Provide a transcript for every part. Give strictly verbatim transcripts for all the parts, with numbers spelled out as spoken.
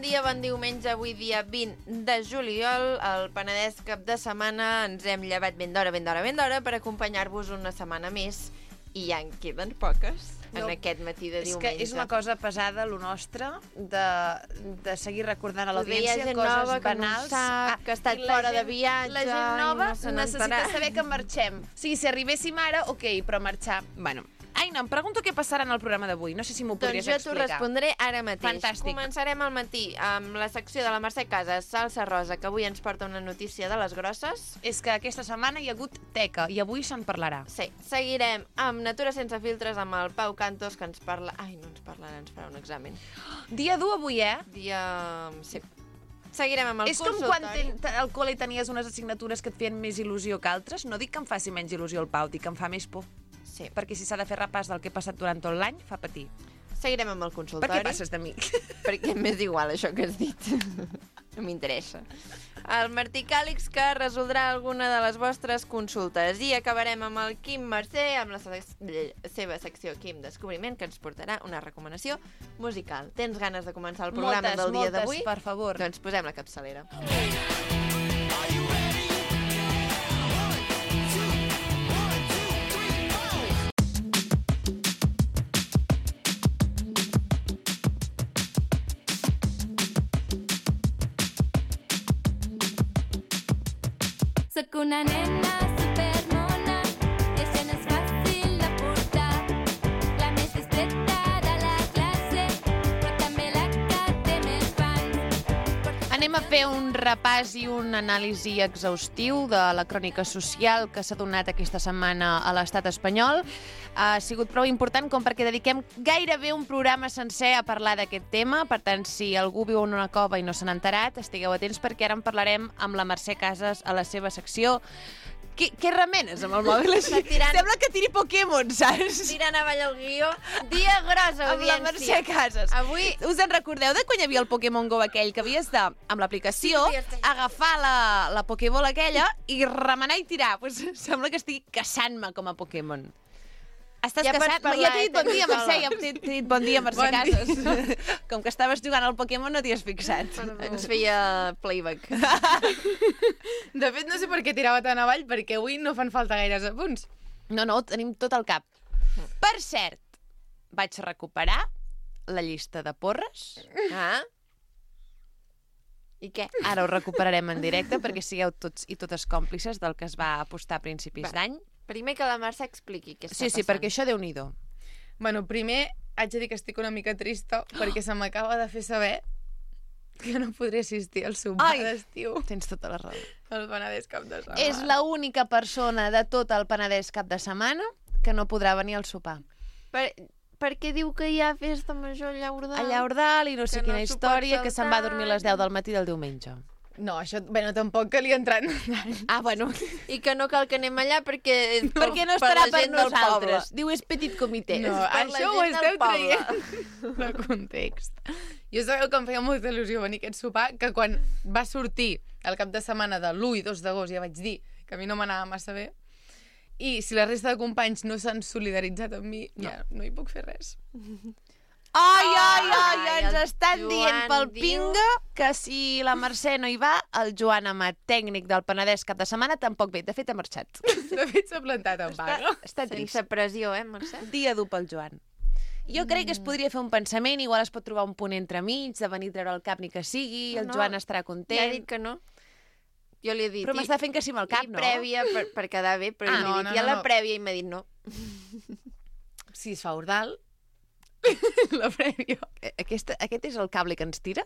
dia, bon diumenge, avui dia vint de juliol. Al Penedès cap de setmana ens hem llevat ben d'hora, ben d'hora, ben d'hora per acompanyar-vos una setmana més. I ja en queden poques en no, aquest matí de diumenge. És que és una cosa pesada, lo nostre, de, de seguir recordant a l'audiència coses nova, banals. Que no sap, ah, que ha estat fora gent, de viatge. La gent nova no necessita saber que marxem. O sigui, si arribéssim ara, ok, però marxar... Bueno, Aina, em pregunto què passarà en el programa d'avui. No sé si m'ho podries explicar. Doncs jo t'ho respondré ara mateix. Fantàstic. Començarem al matí amb la secció de la Mercè Casas, Salsa Rosa, que avui ens porta una notícia de les grosses. És que aquesta setmana hi ha hagut teca i avui se'n parlarà. Sí. Seguirem amb Natura sense filtres amb el Pau Cantos, que ens parla... Ai, no ens parlarà, ens farà un examen. Dia dur avui, eh? Dia... Sí. Seguirem amb el és consultori. És com quan ten, al col·le tenies unes assignatures que et feien més il·lusió que altres. No dic que em faci menys il·lusió el Pau, dic que em fa més por. Sí. Perquè si s'ha de fer repàs del que ha passat durant tot l'any, fa patir. Seguirem amb el consultori. Per què passes de mi? Perquè m'és igual això que has dit. No m'interessa. El Martí Càlix, que resoldrà alguna de les vostres consultes. I acabarem amb el Quim Mercè, amb la seva secció Quim Descobriment, que ens portarà una recomanació musical. Tens ganes de començar el programa moltes, del dia d'avui? Moltes, per favor. Doncs posem la capçalera. Soc una nena supermona i això no és fàcil de portar. La més discreta de la classe, però també la que té més fans. Anem a fer un repàs i un anàlisi exhaustiu de la crònica social que s'ha donat aquesta setmana a l'estat espanyol. Ha sigut prou important com perquè dediquem gairebé un programa sencer a parlar d'aquest tema. Per tant, si algú viu en una cova i no se n'ha enterat, estigueu atents perquè ara en parlarem amb la Mercè Casas a la seva secció. Què, què remenes amb el mòbil així? Tirant... Sembla que tiri Pokémon, saps? Tirant avall el guió. Dia gros, audiència. Amb la Mercè Casas. Avui... Us en recordeu de quan hi havia el Pokémon Go aquell que havies de, amb l'aplicació, sí, agafar la, la Pokébola aquella i remenar i tirar? Pues sembla que estigui caçant-me com a Pokémon. Estàs ja caçant? parlar, Ja t'he dit eh, bon dia, Mercè, sola. ja t'he dit bon dia, Mercè bon Casas. Dia. Com que estaves jugant al Pokémon no t'hi has fixat. Perdó. Ens feia playback. De fet, no sé per què tirava tan avall, perquè avui no fan falta gaires apunts. No, no, ho tenim tot al cap. Per cert, vaig recuperar la llista de porres. Ah? I què? Ara ho recuperarem en directe perquè sigueu tots i totes còmplices del que es va apostar a principis Va. d'any. Primer que la Mercè expliqui què està Sí, sí, passant. perquè això Déu-n'hi-do. Bueno, primer haig de dir que estic una mica trista perquè se m'acaba de fer saber que no podré assistir al sopar Ai. d'estiu Tens tota la raó. al Penedès cap de setmana. És l'única persona de tot el Penedès cap de setmana que no podrà venir al sopar. Per, perquè diu que hi ha festa major allà a Ordal. Allà a Ordal i no sé Que no quina s'ho història, pot que se'n va a saltar. dormir a les deu del matí del diumenge. No, això, bueno, tampoc calia entrar en... Ah, bueno. I que no cal que anem allà perquè... Perquè no per estarà la per gent del nosaltres. poble. Diu, és petit comitè. No, per la això ho gent del esteu poble. traient de context. Jo sabeu que em feia molta il·lusió venir a aquest sopar, que quan va sortir el cap de setmana de l'u i dos d'agost ja vaig dir que a mi no m'anava massa bé, i si la resta de companys no s'han solidaritzat amb mi, no. ja no hi puc fer res. Ai, ai, ai, Ai, ens el estan Joan dient pel diu- pinga que si la Mercè no hi va, el Joan Amat, tècnic del Penedès cap de setmana, tampoc ve. De fet, ha marxat. De fet, s'ha plantat en vaga. Està trist. Sense pressió, eh, Mercè? Dia dur pel Joan. Jo crec que es podria fer un pensament, igual es pot trobar un punt entremig, de venir a treure el cap ni que sigui, el No, Joan estarà content. Ja he dit que no. Jo li he dit... Però m'està fent que sí amb el cap, i no? prèvia per, per quedar bé, però Ah, li he no, dit no, ja no, la no. prèvia i m'ha dit no. Si es fa Ordal, la prèvia. Aquesta, aquest és el cable que ens tira?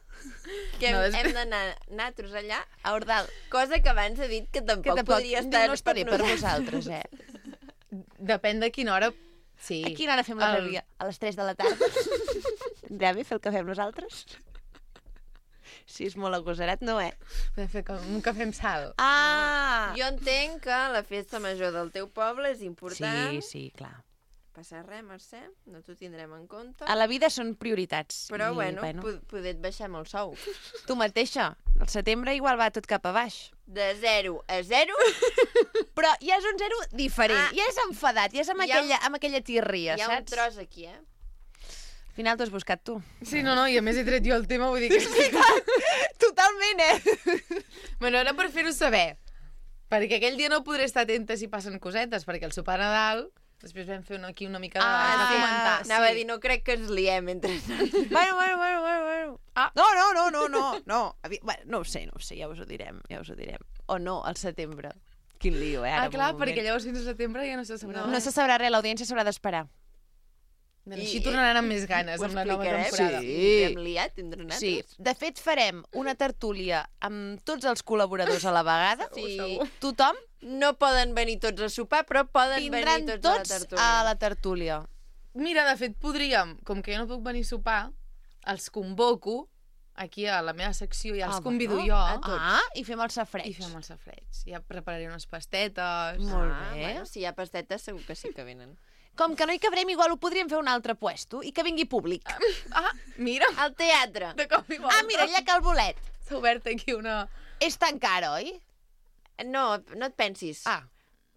Que No, hem, després- hem d'anar nosaltres allà, A Ordal. cosa que abans ha dit que tampoc, Que tampoc podria diu, estar no estaré per vosaltres, eh? Depèn de quina hora... Sí. A quina hora fem la El- prèvia? A les tres de la tarda? Andrà bé fer el que fem nosaltres? Si és molt agosarat, no, eh? Podem fer com un cafè amb sal. Ah! Jo entenc que la festa major del teu poble és important. Sí, sí, clar. Passa res, Mercè, no t'ho tindrem en compte. A la vida són prioritats. Però, I, bueno, bueno. Po poder et baixem el sou. Tu mateixa. El setembre igual va tot cap a baix. De zero a zero, Però ja és un zero diferent. Ah. Ja és enfadat, ja és amb, Hi ha un- aquella, amb aquella tirria, hi ha un saps? tros aquí, eh? Al final t'ho has buscat tu. Sí, no, no, i a més he tret jo el tema, vull dir que... Totalment, eh? Bueno, era per fer-ho saber, perquè aquell dia no podré estar atenta si passen cosetes, perquè el sopar Nadal, després vam fer una, aquí una mica de, Ah, de sí. comentar. Anava sí. a dir, no crec que ens liem entre nosaltres. Bueno, bueno, bueno, bueno, bueno. Ah. No, no, no, no, no, no. Avi- Bueno, no ho sé, no ho sé, ja us ho direm, ja us ho direm. O no, al setembre. Quin lío, eh? Ara, Ah, clar, en un perquè moment. llavors fins a setembre ja no se sabrà. No se sabrà res, l'audiència s'haurà d'esperar. Bueno, I- així tornaran amb més ganes, Ho amb la nova explicarem? temporada. Sí. Si hem liat entre nosaltres. Sí, de fet farem una tertúlia amb tots els col·laboradors a la vegada. Sí. segur. Tothom No poden venir tots a sopar, però poden vindran venir tots, tots a la tertúlia. a la tertúlia. Mira, de fet, podríem, com que jo no puc venir a sopar, els convoco aquí a la meva secció i els Ah, convido bueno. jo A tots. Ah, i fem els safreig. i fem els safreig. Ja prepararé unes pastetes. Molt Ah, bé. bueno, si hi ha pastetes, segur que sí que venen. Com que no hi cabrem, igual ho podríem fer un altre puesto i que vingui públic. Ah, mira, Al teatre. de cop i volta. Ah, mira, allà que el bolet. S'ha obert aquí una... És tan car, oi? No, no et pensis. Ah,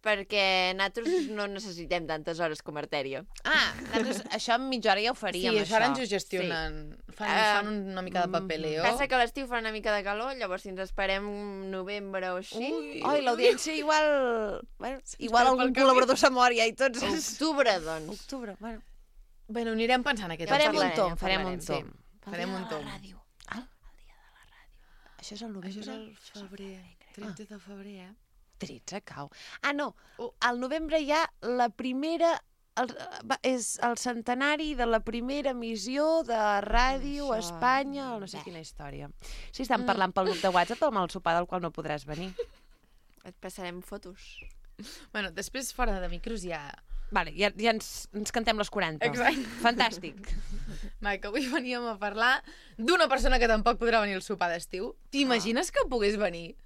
Perquè nosaltres no necessitem tantes hores com Artèria. ah nosaltres això en mitja hora ja ho Sí, faríem, això ara ens ho gestionen. Fan, Ah, fan una mica de papeleo. Passa que a l'estiu fa una mica de calor, llavors si ens esperem novembre o així... Ui. Oi, l'audiència igual... Bueno, igual perd algun pel camí. col·laborador se mor ja i tots... Octubre, doncs. Octubre, bueno. Bueno, anirem pensant aquest Ja Farem parlarem, un tom, ja farem un parlarem, tom. Farem un tom. Ah? Això és el novembre? Això és el febrer. tretze de febrer, eh? tretze, cau. Ah, no, Oh. al novembre hi ha la primera... El, va, és el centenari de la primera emissió de ràdio a Això. Espanya, o no sé Bé. quina història. Sí, estan parlant pel grup de WhatsApp amb el sopar del qual no podràs venir. Et passarem fotos. Bueno, després, fora de micros, ja... Vale, ja, ja ens, ens cantem les quaranta. Exacte. Fantàstic. Va, que avui veníem a parlar d'una persona que tampoc podrà venir al sopar d'estiu. T'imagines que pogués venir?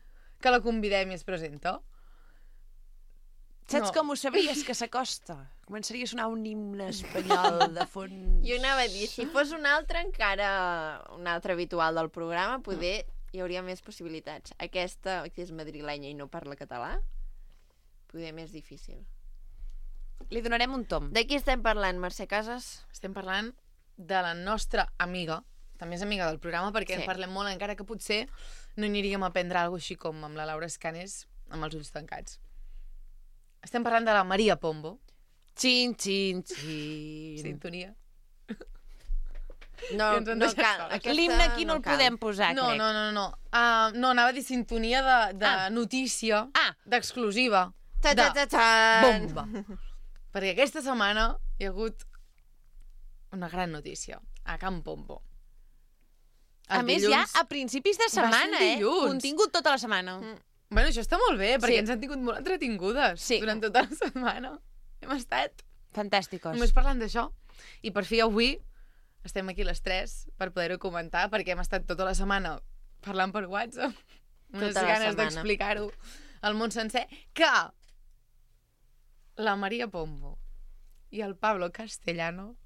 Que la convidem i es presenta? Saps No. com ho sabries que s'acosta? Començaria a sonar un himne espanyol de fons. Jo anava a dir, si fos un altre, encara un altre habitual del programa, poder hi hauria més possibilitats. Aquesta, que és madrilenya i no parla català, poder més difícil. Li donarem un tom. De qui estem parlant, Mercè Casas? Estem parlant de la nostra amiga, també és amiga del programa, perquè Sí. en parlem molt, encara que potser no aniríem a prendre alguna així com amb la Laura Escanes, amb els ulls tancats. Estem parlant de la Maria Pombo. Xin, xin, xin. Sintonia. No, I ens han no deixat cal. soles. Aquesta L'himne aquí no, el cal. podem posar, No, crec. no, no, no. Uh, no, anava a dir sintonia de, de Ah. notícia, Ah. d'exclusiva, Ta, ta, ta, de ta. bomba. Perquè aquesta setmana hi ha hagut una gran notícia a Can Pombo. A El més, dilluns- ja a principis de Va ser el setmana, eh? dilluns. Contingut tota la setmana. Mm. Bueno, això està molt bé, perquè Sí. ens han tingut molt entretingudes Sí. durant tota la setmana. Hem estat Fantàsticos. només parlant d'això. I per fi avui estem aquí les tres per poder-ho comentar, perquè hem estat tota la setmana parlant per WhatsApp. Unes Tota la ganes setmana. d'explicar-ho al món sencer. Que la Maria Pombo i el Pablo Castellano...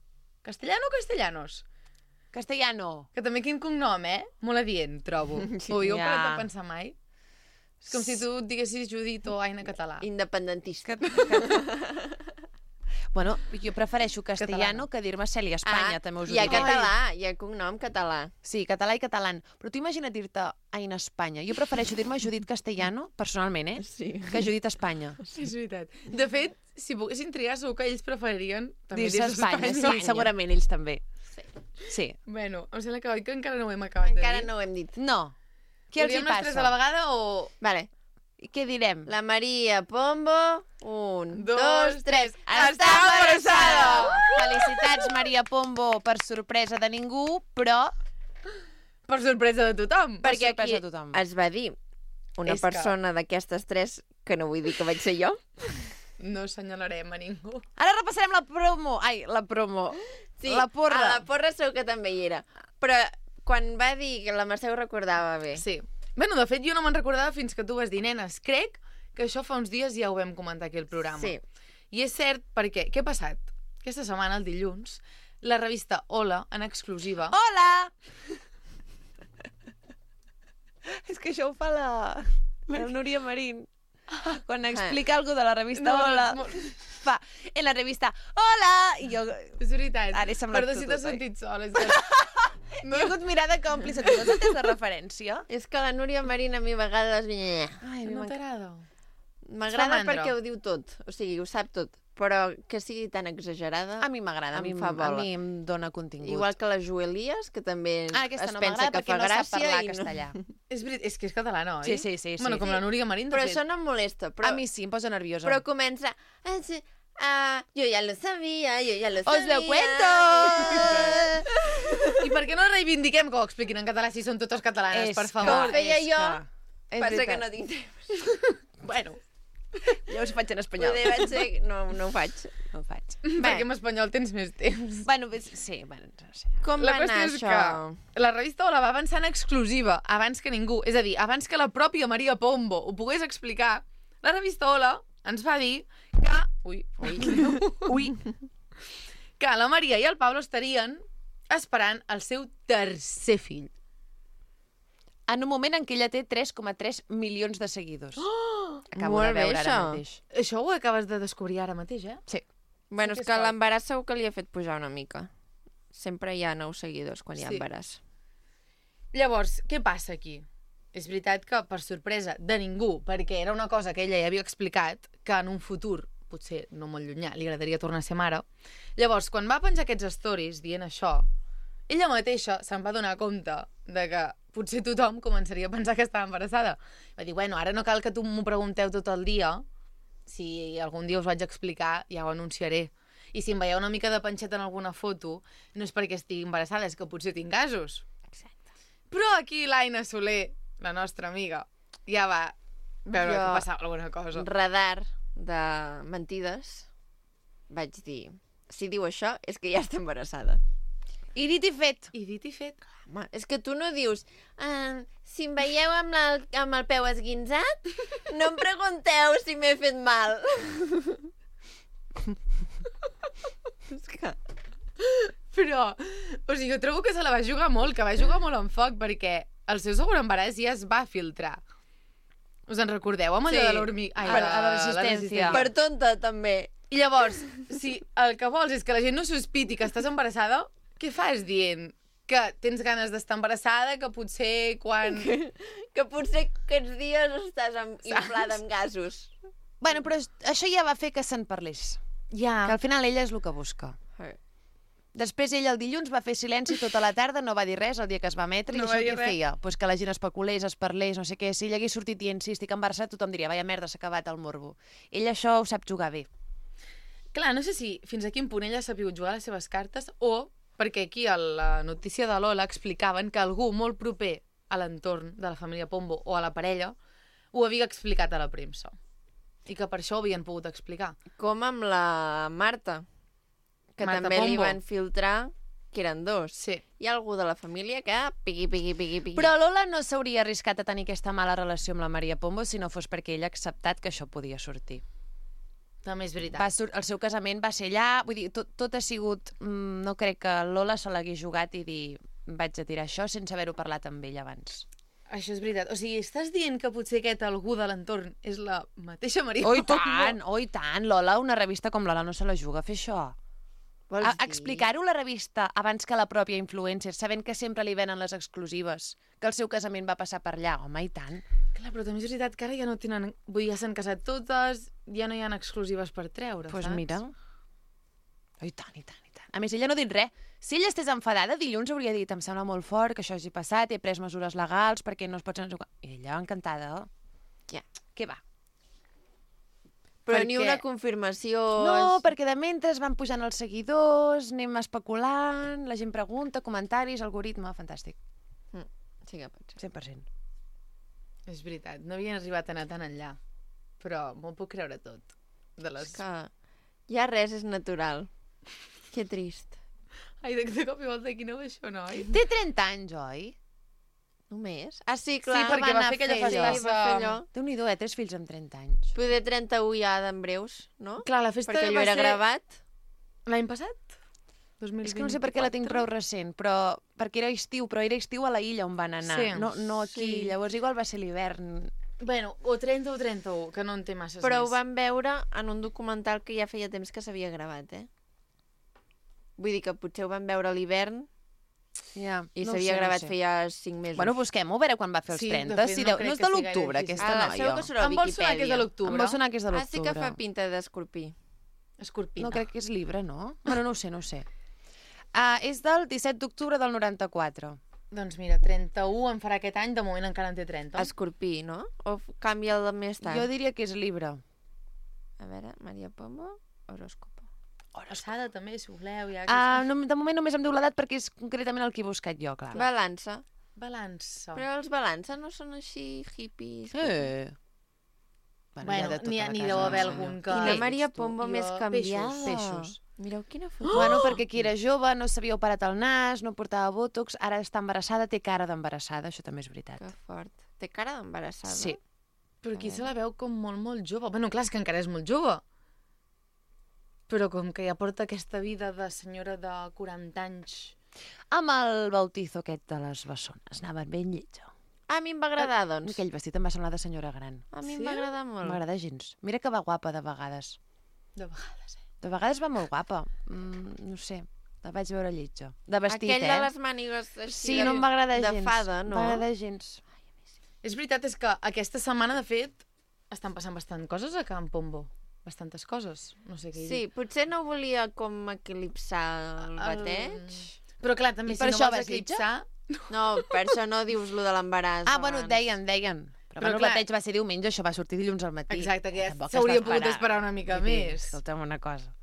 Castellano o Castellanos? Castellano. Que també quin cognom, eh? Molt adient, trobo. Sí. Ho havíeu Ja. parat a pensar mai? És com si tu et diguessis Judit o Aina Català. Independentista. Bueno, jo prefereixo castellano Catalana. que dir-me Cèlia Espanya, també us ho hi ha dic. català, hi ha cognom català. Sí, català i català. Però tu imagina't dir-te Aina Espanya. Jo prefereixo dir-me Judit Castellano, personalment, eh? Sí. Que Judit Espanya. És veritat. De fet, si poguessin triar, segur que ells preferirien també Dir-se dir-se Espanya, Espanya. sí, segurament ells també. Sí. Sí. Bueno, em sembla que oi que encara no ho hem acabat Encara de dir. no ho hem dit. No. Què els hi Ho diem les tres a la passa? vegada o... Vale. I què direm? La Maria Pombo, un, Dos, dos, tres. Està embarassada! Felicitats, Maria Pombo, per sorpresa de ningú, però Per sorpresa de tothom. Per Perquè sorpresa aquí de tothom. es va dir una És que- persona d'aquestes tres, que no vull dir que vaig ser jo. No assenyalarem a ningú. ara repassarem la promo. Ai, la promo. Sí, La porra. a la porra segur que també hi era. Però quan va dir que la Mercè ho recordava bé. Sí. Bueno, de fet, jo no me'n recordava fins que tu vas dir, nenes, crec que això fa uns dies ja ho vam comentar aquí al programa. Sí. I és cert perquè, què ha passat? Aquesta setmana, el dilluns, la revista Hola, en exclusiva... Hola! És que això ho fa la, la Núria Marín. Quan explica algú de la revista No, no, Hola, és molt- fa, en la revista Hola! I jo... És veritat. Ara he semblat Perdó tu si t'has tot, oi? sentit sola. És que... No. Hi ha hagut mirada còmplice. Tu no has entès la referència? És que la Núria Marín a mi a vegades... Ai, a mi No m'enca- t'agrada? M'agrada mandra. perquè ho diu tot. O sigui, ho sap tot. Però que sigui tan exagerada... A mi m'agrada, a, Em mi, fa a bola. mi em dona contingut. Igual que la Joelies, que també Ah, aquesta es no pensa m'agrada que perquè fa no sap gràcia parlar i no... castellà. És, veri... és que és catalana, oi? Sí, sí, sí, sí. Bueno, com la Núria Marín, de Però fet. això no em molesta. Però, A mi sí, em posa nerviosa. però comença... Ah, sí, ah, yo ya lo sabía, yo ya lo Os sabía. lo cuento! I per què no reivindiquem que ho expliquin en català si són totes catalanes, És per que- favor? Com feia és jo, que- és Passa que veritat. no tinc temps. Bueno, jo us faig en espanyol. Poder vaig ser... No, no ho faig. No ho faig. Perquè en espanyol tens més temps. Bueno, pues, sí, bueno, no sé. Com La va anar qüestió és això? que la revista Hola va avançar en exclusiva abans que ningú. És a dir, abans que la pròpia Maria Pombo ho pogués explicar, la revista Hola ens va dir que... Ui, ui, ui. Que la Maria i el Pablo estarien esperant el seu tercer fill. En un moment en què ella té tres coma tres milions de seguidors. Oh! Acabo Molt de bé, veure ara això. mateix. Això ho acabes de descobrir ara mateix, eh? Sí. Bueno, Sí que és que és fort. l'embaràs segur que li ha fet pujar una mica. Sempre hi ha nous seguidors quan hi ha Sí. embaràs. Llavors, què passa aquí? És veritat que, per sorpresa de ningú, perquè era una cosa que ella ja havia explicat, que en un futur, potser no molt llunyà, li agradaria tornar a ser mare. Llavors, quan va penjar aquests stories dient això, ella mateixa se'n va donar compte de que potser tothom començaria a pensar que estava embarassada. Va dir, bueno, ara no cal que tu m'ho pregunteu tot el dia, si algun dia us vaig explicar, ja ho anunciaré. I si em veieu una mica de panxeta en alguna foto, no és perquè estigui embarassada, és que potser tinc gasos. Exacte. Però aquí l'Aina Soler, la nostra amiga, ja va veure Jo- que passava alguna cosa. Radar de mentides, vaig dir, si diu això és que ja està embarassada. I dit i fet. I dit i fet. Home, és que tu no dius, ah, si em veieu amb, la, amb el peu esguinçat, no em pregunteu si m'he fet mal. és que... Però, o sigui, jo trobo que se la va jugar molt, que va jugar molt en foc, perquè el seu segon embaràs ja es va filtrar. Us en recordeu amb allò Sí. de l'hormiga? Ai, Per- de a la resistència. Per tonta, també. I llavors, si el que vols és que la gent no sospiti que estàs embarassada, què fas dient? Que tens ganes d'estar embarassada, que potser quan... Que potser aquests dies estàs amb, inflada amb gasos. Bueno, però es- això ja va fer que se'n parlés. Ja. Que al final ella és el que busca. Després ella el dilluns va fer silenci tota la tarda, no va dir res el dia que es va emetre, No i va això dir què res. feia? Pues que la gent especulés, es parlés, no sé què. Si ella hagués sortit dient sí, estic embarassada, tothom diria, vaya merda, s'ha acabat el morbo. Ella això ho sap jugar bé. Clar, no sé si fins a quin punt ella ha sabut jugar les seves cartes o perquè aquí a la notícia de Lola explicaven que algú molt proper a l'entorn de la família Pombo o a la parella ho havia explicat a la premsa. I que per això ho havien pogut explicar. Com amb la Marta, que Marta també li Pombo. van filtrar que eren dos. Sí. Hi ha algú de la família que piqui, piqui, piqui, piqui. Però Lola no s'hauria arriscat a tenir aquesta mala relació amb la Maria Pombo si no fos perquè ella ha acceptat que això podia sortir. També és veritat. Va sur el seu casament va ser allà, vull dir, tot, tot ha sigut... Mm, no crec que Lola se l'hagués jugat i dir vaig a tirar això sense haver-ho parlat amb ell abans. Això és veritat. O sigui, estàs dient que potser aquest algú de l'entorn és la mateixa Maria Oh, i Pombo? tant, oh, i tant. Lola, una revista com Lola no se la juga a fer això. Vols A dir? explicar-ho a la revista abans que la pròpia influencer, sabent que sempre li venen les exclusives, que el seu casament va passar per allà. Home, i tant. Clar, però també és veritat que ara ja no tenen... Vull dir, ja s'han casat totes, ja no hi ha exclusives per treure, Doncs pues saps? mira. Oh, i tant, i tant, i tant. A més, ella no ha dit res. Si ella estés enfadada, dilluns hauria dit em sembla molt fort que això hagi passat, he pres mesures legals perquè no es pot jugar. I ella, encantada. Ja. Què va? Però perquè- ni una confirmació... No, perquè de mentre van pujant els seguidors, anem especulant, la gent pregunta, comentaris, algoritme, fantàstic. Mm, sí que pot ser. cent per cent. És veritat, no havien arribat a anar tan enllà. Però m'ho puc creure tot. De les... És que ja res és natural. Que trist. Ai, de, de cop i volta aquí no ve això, no? Oi? Té trenta anys, oi? Només? Ah, sí, clar. Sí, perquè va va anar fer aquella a fer Sí, festassa... va fer allò. Déu-n'hi-do, eh? Tres fills amb trenta anys. Poder trenta-u ja d'en breus, no? Clar, la festa Perquè allò va era ser... gravat. L'any passat? dos mil vint-i-quatre? És que no sé per què la tinc prou recent, però perquè era estiu, però era estiu a la illa on van anar, Sí. no, no aquí. Sí. Llavors igual va ser l'hivern. Bueno, o trenta o trenta-u, que no en té masses Però més. ho vam veure en un documental que ja feia temps que s'havia gravat, eh? Vull dir que potser ho vam veure a l'hivern Ja, i no ho s'havia sé, gravat no ho sé. feia cinc mesos. Bueno, busquem-ho, a veure quan va fer els Sí, de trenta. fet, si no deu... crec no és que de sigui l'octubre, gaire aquesta Ah, segur noia. que surt a Em vol sonar que és de Viquipèdia. Em l'octubre. vol sonar que és de Ah, sí que fa l'octubre. pinta d'escorpí. Escorpina. No, crec que és llibre, no? Bueno, no ho sé, no ho sé. Uh, és del disset d'octubre del noranta-quatre. Doncs mira, trenta-u en farà aquest any, de moment encara en té trenta. Escorpí, no? O f- canvia el de més tard? Jo diria que és llibre. A veure, Maria Pombo, horòscopo. Passada també, si voleu. Ja que Uh, no, de moment només em diu l'edat perquè és concretament el que he buscat jo, clar. Balança. Balança. Però els balança no són així hippies. Eh. Bueno, hi ha de tota n'hi ha- la n'hi casa, deu haver no, algun senyor. que- Quina Peixos, Maria tu. Pombo Jo- més canviada. peixos. Mireu quina foto. Oh! Bueno, perquè qui era jove, no s'havia operat el nas, no portava botox, ara està embarassada, té cara d'embarassada, això també és veritat. Que fort. Té cara d'embarassada. Sí. Però aquí se la veu com molt, molt jove. Bueno, clar, és que encara és molt jove. Però com que ja porta aquesta vida de senyora de quaranta anys... Amb el bautizo aquest de les bessones, anava ben lletja. A mi em va agradar, doncs. Aquell vestit em va semblar de senyora gran. A mi Sí? em va agradar No molt. m'agrada gens. Mira que va guapa de vegades. De vegades, eh? De vegades va molt guapa. Mm, no sé, la vaig veure lletja. De vestit, Aquell eh? de les mànigues així Sí, de, no em va agradar de gens. fada, No no? m'agrada gens. És veritat, és que aquesta setmana, de fet, estan passant bastant coses a Can Pombo. Bastantes coses. No sé què hi Sí, dic. potser no volia com eclipsar el El- bateig. Però clar, també, I si per no això vols vas lletja? eclipsar... No, per això no dius lo de l'embaràs. Ah, bueno, abans. deien, deien. Però, Però bueno, el clar- bateig va ser diumenge, això va sortir dilluns al matí. Exacte, que ja Tampoc s'hauria has pogut d'esperar. esperar una mica Vull dir, més. Escolta'm una cosa.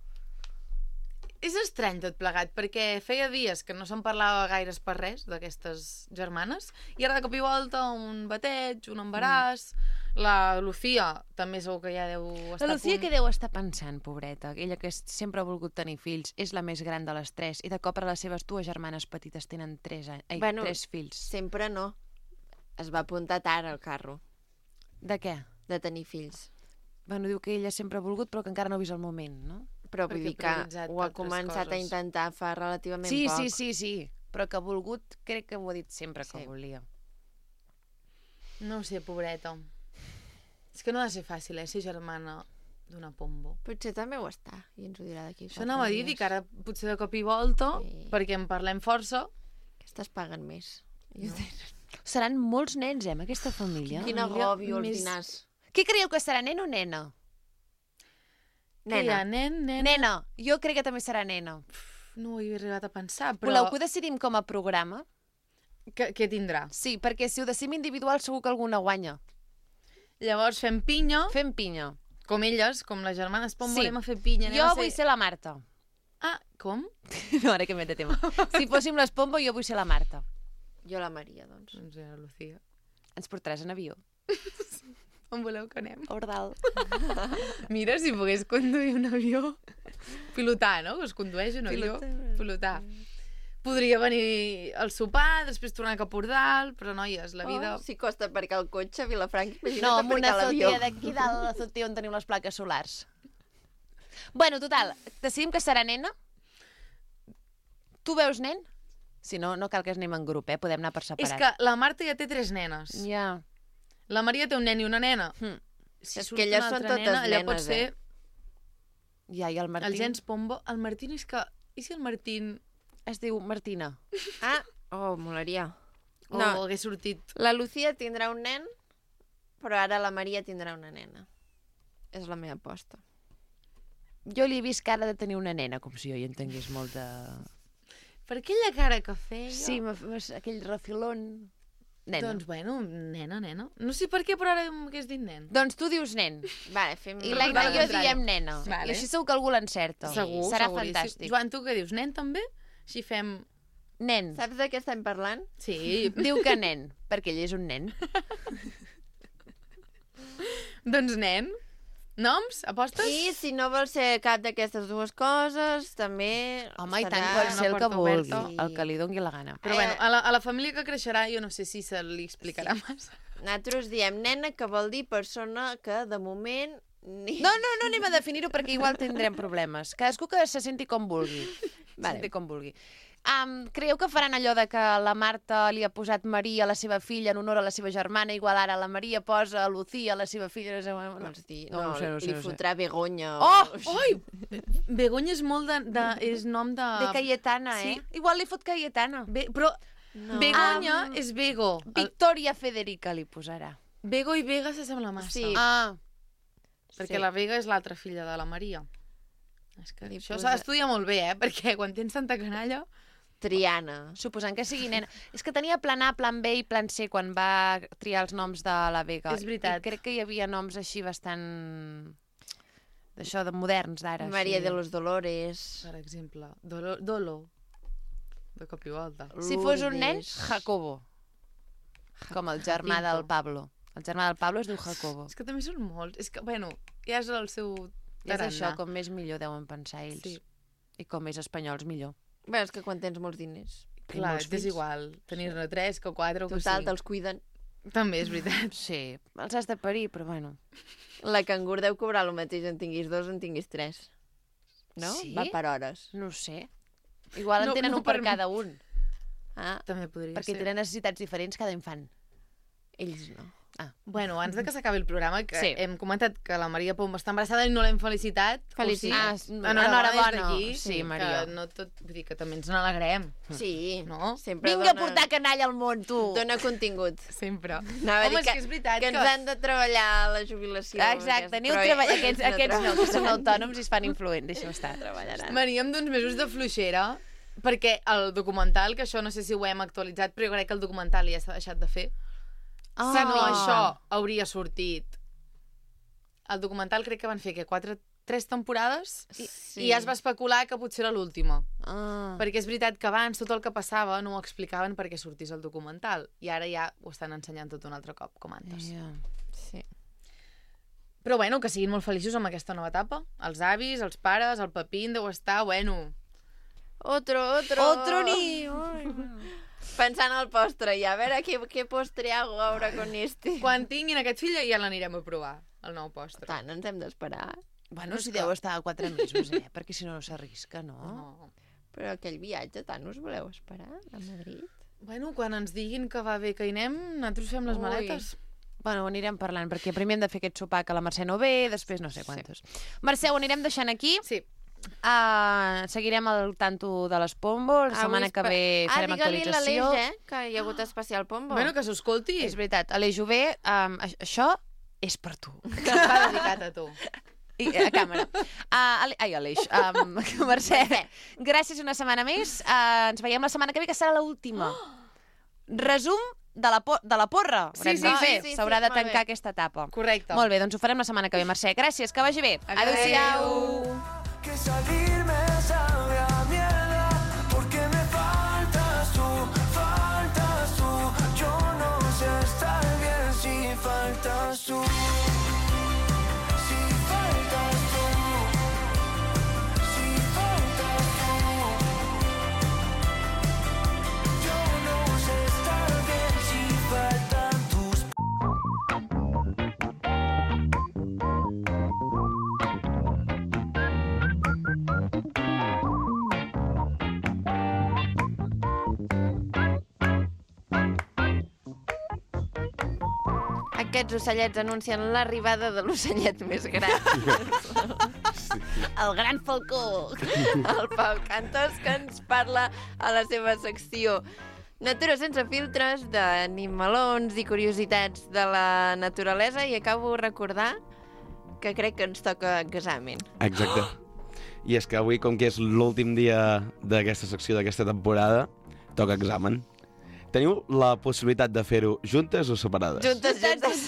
És estrany tot plegat, perquè feia dies que no se'n parlava gaires per res d'aquestes germanes, i ara de cop i volta un bateig, un embaràs... Mm. La Lucía també segur que ja deu estar La a Lucía punt. que deu estar pensant, pobreta, ella que sempre ha volgut tenir fills, és la més gran de les tres, i de cop ara les seves dues germanes petites tenen tres, any... Ai, Bueno, tres fills. Sempre no. Es va apuntar tard al carro De què? de tenir fills. Bueno, diu que ella sempre ha volgut, però que encara no ha vist el moment, no? Però vull Perquè dir que ha prioritzat ho ha altres començat a coses. intentar fa relativament Sí, poc. sí, sí, sí, però que ha volgut, crec que ho ha dit sempre que Sí. volia. No ho sé, pobreta. És que no ha de ser fàcil, eh, ser germana d'una Pombo. Potser també ho està, i ens ho dirà d'aquí Això anava a dir, dic ara potser de cop i volta, Sí. perquè en parlem força. Aquestes paguen més. No. Seran molts nens, eh, amb aquesta família. Quina Família agòbio, els més- dinars. Qui creieu que serà, nen o nena? Què hi ha, Nena. nen, nen? Nena, jo crec que també serà nena. No ho he arribat a pensar, però... Voleu que ho decidim com a programa? Què, què tindrà? Sí, perquè si ho decidim individual segur que alguna guanya. Llavors fem pinya, Fem pinya. com elles, com les germanes Pombo, Sí. anem a fer pinya. anem Jo a vull ser la Marta. Ah, com? No, ara que m'he de tema. Si fóssim les Pombo, jo vull ser la Marta. Jo la Maria, doncs. Doncs era Lucía. Ens portaràs en avió. On voleu que anem? Ordal. Mira, si pogués conduir un avió... Pilotar, no? Que es condueix un avió. Pilotar. Pilotar. Podria venir al sopar, després tornar cap a Ordal, però noies, la vida... Oh, si costa aparcar el cotxe a Vilafranca, imagina't No, amb una aparcar l'avió. azotea d'aquí dalt, l'azotea on teniu les plaques solars. Bueno, total, decidim que serà nena. Tu veus nen? Si no, no cal que anem en grup, eh? Podem anar per És separat. que la Marta ja té tres nenes. Ja. La Maria té un nen i una nena. Hm. Si És surt que elles una són altra totes nena, allà pot nenes, ser eh? Ja, i el Martín... el gens Pombo. El Martín és que... I si el Martín... Es diu Martina. Ah, oh, molaria. O No, hagués sortit... la Lucía tindrà un nen, però ara la Maria tindrà una nena. És la meva aposta. Jo li he vist cara de tenir una nena, com si jo hi entengués molt de... Per aquella cara que feia... Sí, m'ha- m'ha- aquell refilón... Nena. Doncs, bueno, nena, nena. No sé per què, però ara m'hagués dit nen. Doncs tu dius nen. Vale, fem... I l'Aina i jo diem nena. Vale. I així segur que algú l'encerta. Segur, Serà seguríssim. fantàstic. Joan, tu què dius? Nen també? Així fem... Nen. Saps de què estem parlant? Sí. Diu que nen, perquè ell és un nen. Doncs nen. Noms? Apostes? I si no vol ser cap d'aquestes dues coses, també... Home, i tant, serà- pot ser el que porta vulgui, oberta. el que li doni la gana. Però Eh. bueno, a la, a la família que creixerà jo no sé si se li explicarà sí. massa. Nosaltres diem nena, que vol dir persona que de moment... Ni... No, no, no anem a definir-ho perquè igual tindrem problemes. Cadascú que se senti com vulgui. Vale. Senti com vulgui. Um, creieu que faran allò de que la Marta li ha posat Maria a la seva filla en honor a la seva germana, igual ara la Maria posa Lucía a la seva filla... No, No, hosti, no, no, no sé, no sé, li no sé. fotrà Begoña. Oh! Oi! Begoña és molt de... de és nom de... De Cayetana, eh? Sí. Igual li fot Cayetana. Be, però No. Begoña Um, és Bego. El, Victoria Federica li posarà. Bego i Vega s'assembla massa. Sí. Ah, Perquè Sí. la Vega és l'altra filla de la Maria. És que Li això posa- s'ha d'estudiar molt bé, eh? Perquè quan tens tanta canalla... Triana. suposant que sigui nena. És que tenia plan A, plan B i plan C quan va triar els noms de la Vega. És veritat. I crec que hi havia noms així bastant... d'això, de moderns d'ara. Maria sí. de los Dolores. Per exemple, Dolo. Dolo. De cop i volta. Si fos un nen, Lourdes. Jacobo. Com el germà Jacinto. del Pablo. El germà del Pablo es diu Jacobo. És que també són molts. És que, bueno, ja és el seu És tarannà. això, com més millor deuen pensar ells. Sí. I com més espanyols, millor. Bé, és que quan tens molts diners. Clar, molts és fills. igual. Tenir-ne tres, que quatre o que Total, cinc. te'ls cuiden. També és veritat. Sí, els has de parir, però bueno. La cangur deu cobrar el mateix en tinguis dos o en tinguis tres. No? Sí? Va per hores. No ho sé. Igual en No- tenen no un per per- cada un, Ah, També podria perquè ser. tenen necessitats diferents cada infant. ells no. Bueno, abans de que s'acabi el programa, que Sí. hem comentat que la Maria Pombo està embarassada i no l'hem felicitat. Felicitats. Ah, s- Enhorabona. enhorabona. des d'aquí, Sí, Maria. Que no tot, vull dir que també ens n'alegrem. Sí, No? sempre Vinga a dona, portar canalla al món, tu! dona contingut. Sempre. Anava a dir Home, és que és veritat que que... ens han de treballar a la jubilació. Exacte, aquests, aneu però treballar. ells Aquests, aquests no, que són treballen. autònoms i es fan influents, deixa-ho estar. Treballaran. Veníem d'uns mesos de fluixera, perquè el documental, que això no sé si ho hem actualitzat, però jo crec que el documental ja s'ha deixat de fer. Ah. Si no, això hauria sortit. El documental crec que van fer que quatre, tres temporades i, Sí. i ja es va especular que potser era l'última. Ah. Perquè és veritat que abans tot el que passava no ho explicaven perquè sortís el documental. I ara ja ho estan ensenyant tot un altre cop, com antes. Yeah. Sí. Però bueno, que siguin molt feliços amb aquesta nova etapa. Els avis, els pares, el Pepín deu estar, bueno... Otro, otro. Otro ni... Pensant al postre, i a veure què, què postre hago ahora con este. Quan tinguin aquest fill ja l'anirem a provar, el nou postre. Tant, ens hem d'esperar. Bueno, si deu estar a quatre mesos, eh? Perquè si no, no s'arrisca, no? No. Però aquell viatge, tant us voleu esperar a Madrid? Bueno, quan ens diguin que va bé que hi anem, nosaltres fem les Ui. maletes. Bueno, ho anirem parlant, perquè primer hem de fer aquest sopar que la Mercè no ve, després no sé quantos. Mercè, ho anirem deixant aquí. Sí. Uh, seguirem al tanto de les Pombo. La setmana Avui que espe- ve farem ah, actualització. Ah, digue-li a l'Aleix, eh, que hi ha hagut especial Pombo. Bueno, que s'escolti. És veritat, Aleix Jové, um, això és per tu. Que va dedicat a tu. I, a càmera. Uh, Ale... Ai, Aleix. Um, Mercè, gràcies una setmana més. Uh, ens veiem la setmana que ve, que serà l'última. Resum de la, por de la porra. Sí, Haurem sí, de sí, fer. sí, S'haurà sí, de molt bé. tancar aquesta etapa. Correcte. Molt bé, doncs ho farem la setmana que ve, Mercè. Gràcies, que vagi bé. Adéu-siau. Que salirme sabe a mierda, porque me faltas tú, faltas tú. Yo no sé estar bien si faltas tú. Si faltas tú, si faltas tú. Yo no sé estar bien si faltan tus. Aquests ocellets anuncien l'arribada de l'ocellet més gran. El gran falcó. El Pau Cantos, que ens parla a la seva secció Natura sense filtres, d'animalons i curiositats de la naturalesa, i acabo de recordar que crec que ens toca examen. Exacte. I és que avui, com que és l'últim dia d'aquesta secció d'aquesta temporada, toca examen. Teniu la possibilitat de fer-ho juntes o separades? Juntes, juntes.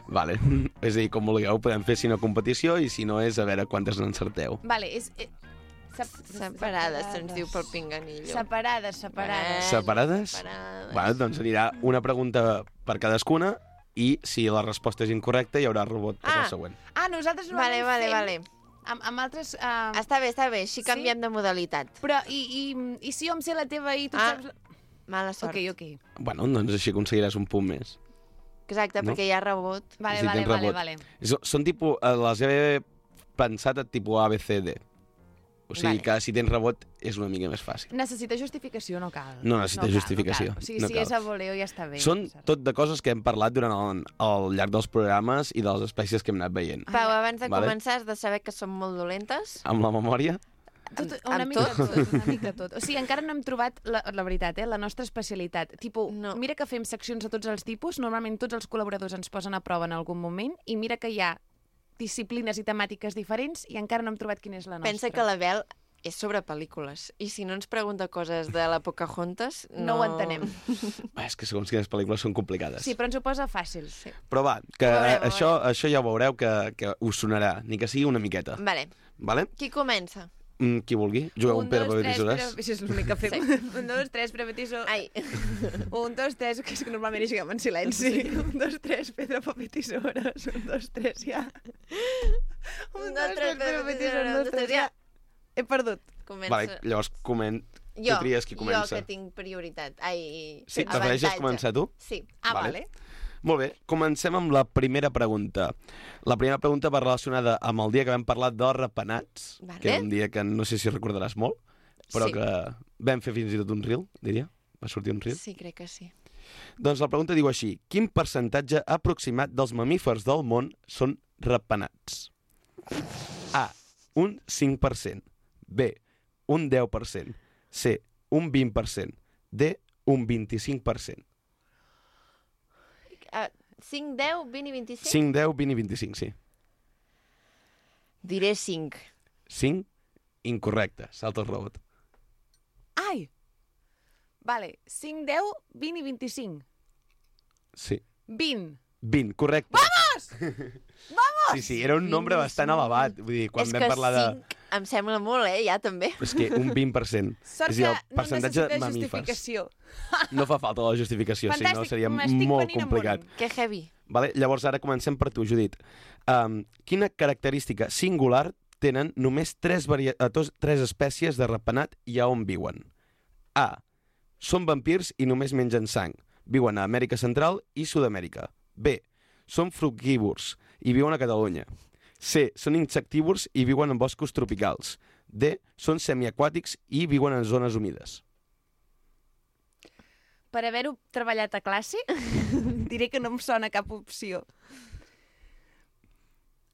Vale. És a dir, com vulgueu, podem fer si no competició i si no és a veure quantes n'encerteu. Vale, és... Eh, sep Separades, se'ns diu pel pinganillo. Separades, separades. Separades? Separades. Bueno, doncs anirà una pregunta per cadascuna i si la resposta és incorrecta hi haurà rebot per Ah. la següent. Ah, nosaltres no Vale, vale, fem vale. amb, amb altres... Uh, Està bé, està bé, així Sí? canviem de modalitat. però, i, i, i si jo em sé la teva i tu Ah, saps... Mala sort. Ok, ok. Bueno, doncs així aconseguiràs un punt més. Exacte, No? perquè hi ha rebot. Vale, Sí, vale, tens vale, rebot. vale. És- Són tipus... eh, Les he pensat a tipus A, B, C, D. O sigui Vale. que si tens rebot és una mica més fàcil. Necessita justificació, no cal. No necessita cal, justificació, No cal. O sigui, no si cal. és a voleo ja està bé. Són tot de coses que hem parlat durant el, al llarg dels programes i de les espècies que hem anat veient. Pau, abans de Vale. començar has de saber que som molt dolentes. Amb la memòria, Tot, Amb- una amb mica tot? de tot, una mica de tot. O sigui, encara no hem trobat, la, la veritat, eh, la nostra especialitat. Tipo, No. mira que fem seccions de tots els tipus, normalment tots els col·laboradors ens posen a prova en algun moment, i mira que hi ha disciplines i temàtiques diferents i encara no hem trobat quina és la nostra. Pensa que la Bel és sobre pel·lícules. I si no ens pregunta coses de la Pocahontas... No, No, ho entenem. ah, és que segons quines pel·lícules són complicades. Sí, però ens ho posa fàcil. Sí. Però va, que Ho veurem, ho això, això ja ho veureu que, que us sonarà, ni que sigui una miqueta. Vale. Vale? Qui comença? Mm, qui vulgui. Jugueu un, pedra, paper, tres, tisores. però... Això és l'únic que fem. Sí. Un, dos, tres, pedra, paper, tisores. Ai. Un, dos, tres, que és que normalment hi juguem en silenci. Sí. Un, dos, tres, pedra, paper, tisores. Un, dos, tres, ja. Un, dos, tres, pedra, paper, tisores. Un, dos, tres, ja. He perdut. Comença. Vale, llavors coment... Jo, tu tries qui comença. jo que tinc prioritat. Ai, Sí, prefereixes avantatge. començar tu? Sí. Ah, Vale. vale. Molt bé, comencem amb la primera pregunta. La primera pregunta va relacionada amb el dia que vam parlar dels rapenats, Vale. que era un dia que no sé si recordaràs molt, però Sí. que vam fer fins i tot un reel, diria. Va sortir un reel. Sí, crec que sí. Doncs la pregunta diu així: quin percentatge aproximat dels mamífers del món són rapenats? A, un cinc per cent. B, un deu per cent. C, un vint per cent. D, un vint-i-cinc per cent. Uh, cinc, deu, vint i vint-i-cinc? cinc, deu, vint i vint-i-cinc, sí. Diré cinc. cinc, incorrecte. Salta el robot. Ai! Vale, cinc, deu, vint i vint-i-cinc. Sí. vint. vint, correcte. Vamos! Vamos! Sí, sí, era un nombre bastant elevat. Vull dir, quan és vam que parlar de... cinc em sembla molt, eh? Ja també. És que un vint per cent. Sort és a dir, que el no percentatge de necessita mamífers. justificació. No fa falta la justificació, si no Fantàstic, seria m'estic molt venint complicat. amunt. Que heavy. Vale? Llavors, ara comencem per tu, Judit. Um, quina característica singular tenen només tres, varia... eh, tos- tres espècies de ratpenat i a on viuen? A. Són vampirs i només mengen sang. Viuen a Amèrica Central i Sud-amèrica. B. Són frugívors i viuen a Catalunya. C. Són insectívors i viuen en boscos tropicals. D. Són semiaquàtics i viuen en zones humides. Per haver-ho treballat a classe, diré que no em sona cap opció.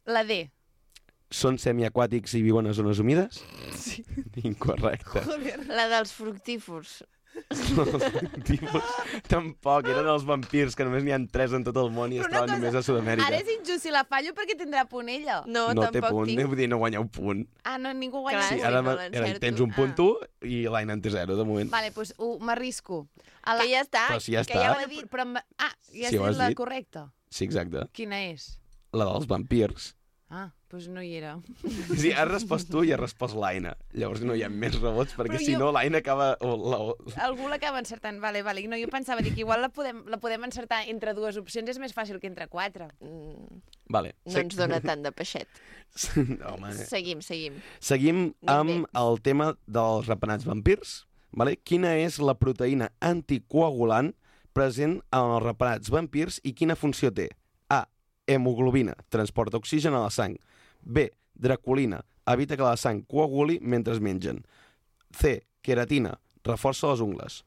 La D. Són semiaquàtics i viuen a zones humides? Sí. Incorrecte. La dels fructífors. Tipus, tampoc, eren els vampirs, que només n'hi ha tres en tot el món i Però una estaven cosa, només a Sud-amèrica. Ara és injust si la fallo perquè tindrà punt ella. No, No té tampoc punt, tinc. vull dir, no guanyeu punt. Ah, no, ningú guanya. Clar, Sí, sí, ara, no ara l'encerto. tens un punt Ah. tu i l'Aina en té zero, de moment. Vale, doncs uh, m'arrisco. A Que ja està, Però si ja que està. ja ho Però, he dit. però, em- ah, ja has Sí, ho has dit la dit. correcta. Sí, exacte. Quina és? La dels vampirs. Ah, doncs no hi era. Sí, has respost tu i has respost l'Aina. Llavors no hi ha més rebots, perquè Però si jo- no l'Aina acaba... O, la, o... Algú l'acaba encertant. Vale, vale. No, jo pensava dir que igual la podem, la podem encertar entre dues opcions. És més fàcil que entre quatre. Mm, Vale. No ens dona tant de peixet. No, home. Seguim, seguim. Seguim amb Anem bé. el tema dels ratpenats vampirs. Vale? Quina és la proteïna anticoagulant present en els ratpenats vampirs i quina funció té? A. Hemoglobina, transporta oxigen a la sang. B. Draculina, evita que la sang coaguli mentre mengen. C. Queratina, reforça les ungles.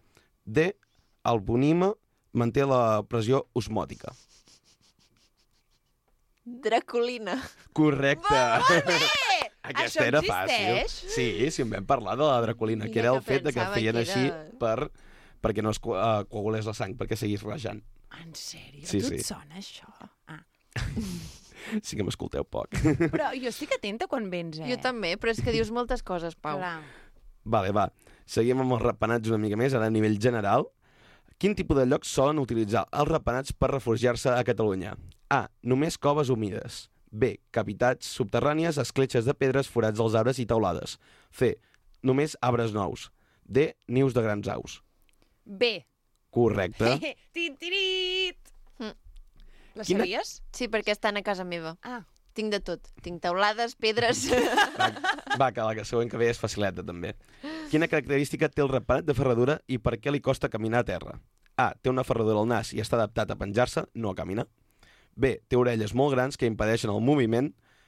D. Albonima, manté la pressió osmòtica. Draculina. Correcte! Això Aquesta era existeix? fàcil. Sí, sí, en vam parlar de la draculina, Mira que era el que fet de que pensava feien que així era- per, perquè no es co uh, coagulés la sang, perquè seguís rajant. En sèrio? Sí, tu sí. et sona això? Ah. Sí que m'escolteu poc. Però jo estic atenta quan vens, eh? Jo també, però és que dius moltes coses, Pau. Clar. Vale, va. Seguim amb els ratpenats una mica més, ara a nivell general. Quin tipus de llocs solen utilitzar els ratpenats per refugiar-se a Catalunya? A. Només coves humides. B. Cavitats subterrànies, escletxes de pedres, forats dels arbres i teulades. C. Només arbres nous. D. Nius de grans aus. B. Correcte. Titirit! Mm. La Quina- sabies? Sí, perquè estan a casa meva. Ah. Tinc de tot. Tinc teulades, pedres... Va, va, que la que següent que ve és facileta, també. Quina característica té el ratpenat de ferradura i per què li costa caminar a terra? A. Té una ferradura al nas i està adaptat a penjar-se, no a caminar. B. Té orelles molt grans que impedeixen el moviment.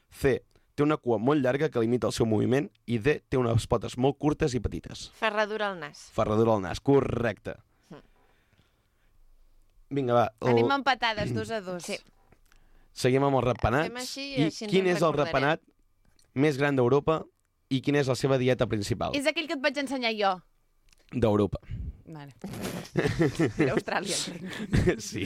C. té una cua molt llarga que limita el seu moviment i D, té unes potes molt curtes i petites. Ferradura al nas. Ferradura al nas, correcte. Vinga, va. el- Anem empatades, dos a dos. Sí. Seguim amb els Fem ratpenats. així i I així ens quin en és el recordarem. ratpenat més gran d'Europa i quina és la seva dieta principal? És aquell que et vaig ensenyar jo. D'Europa. Vale. Era Austràlia, crec. Sí.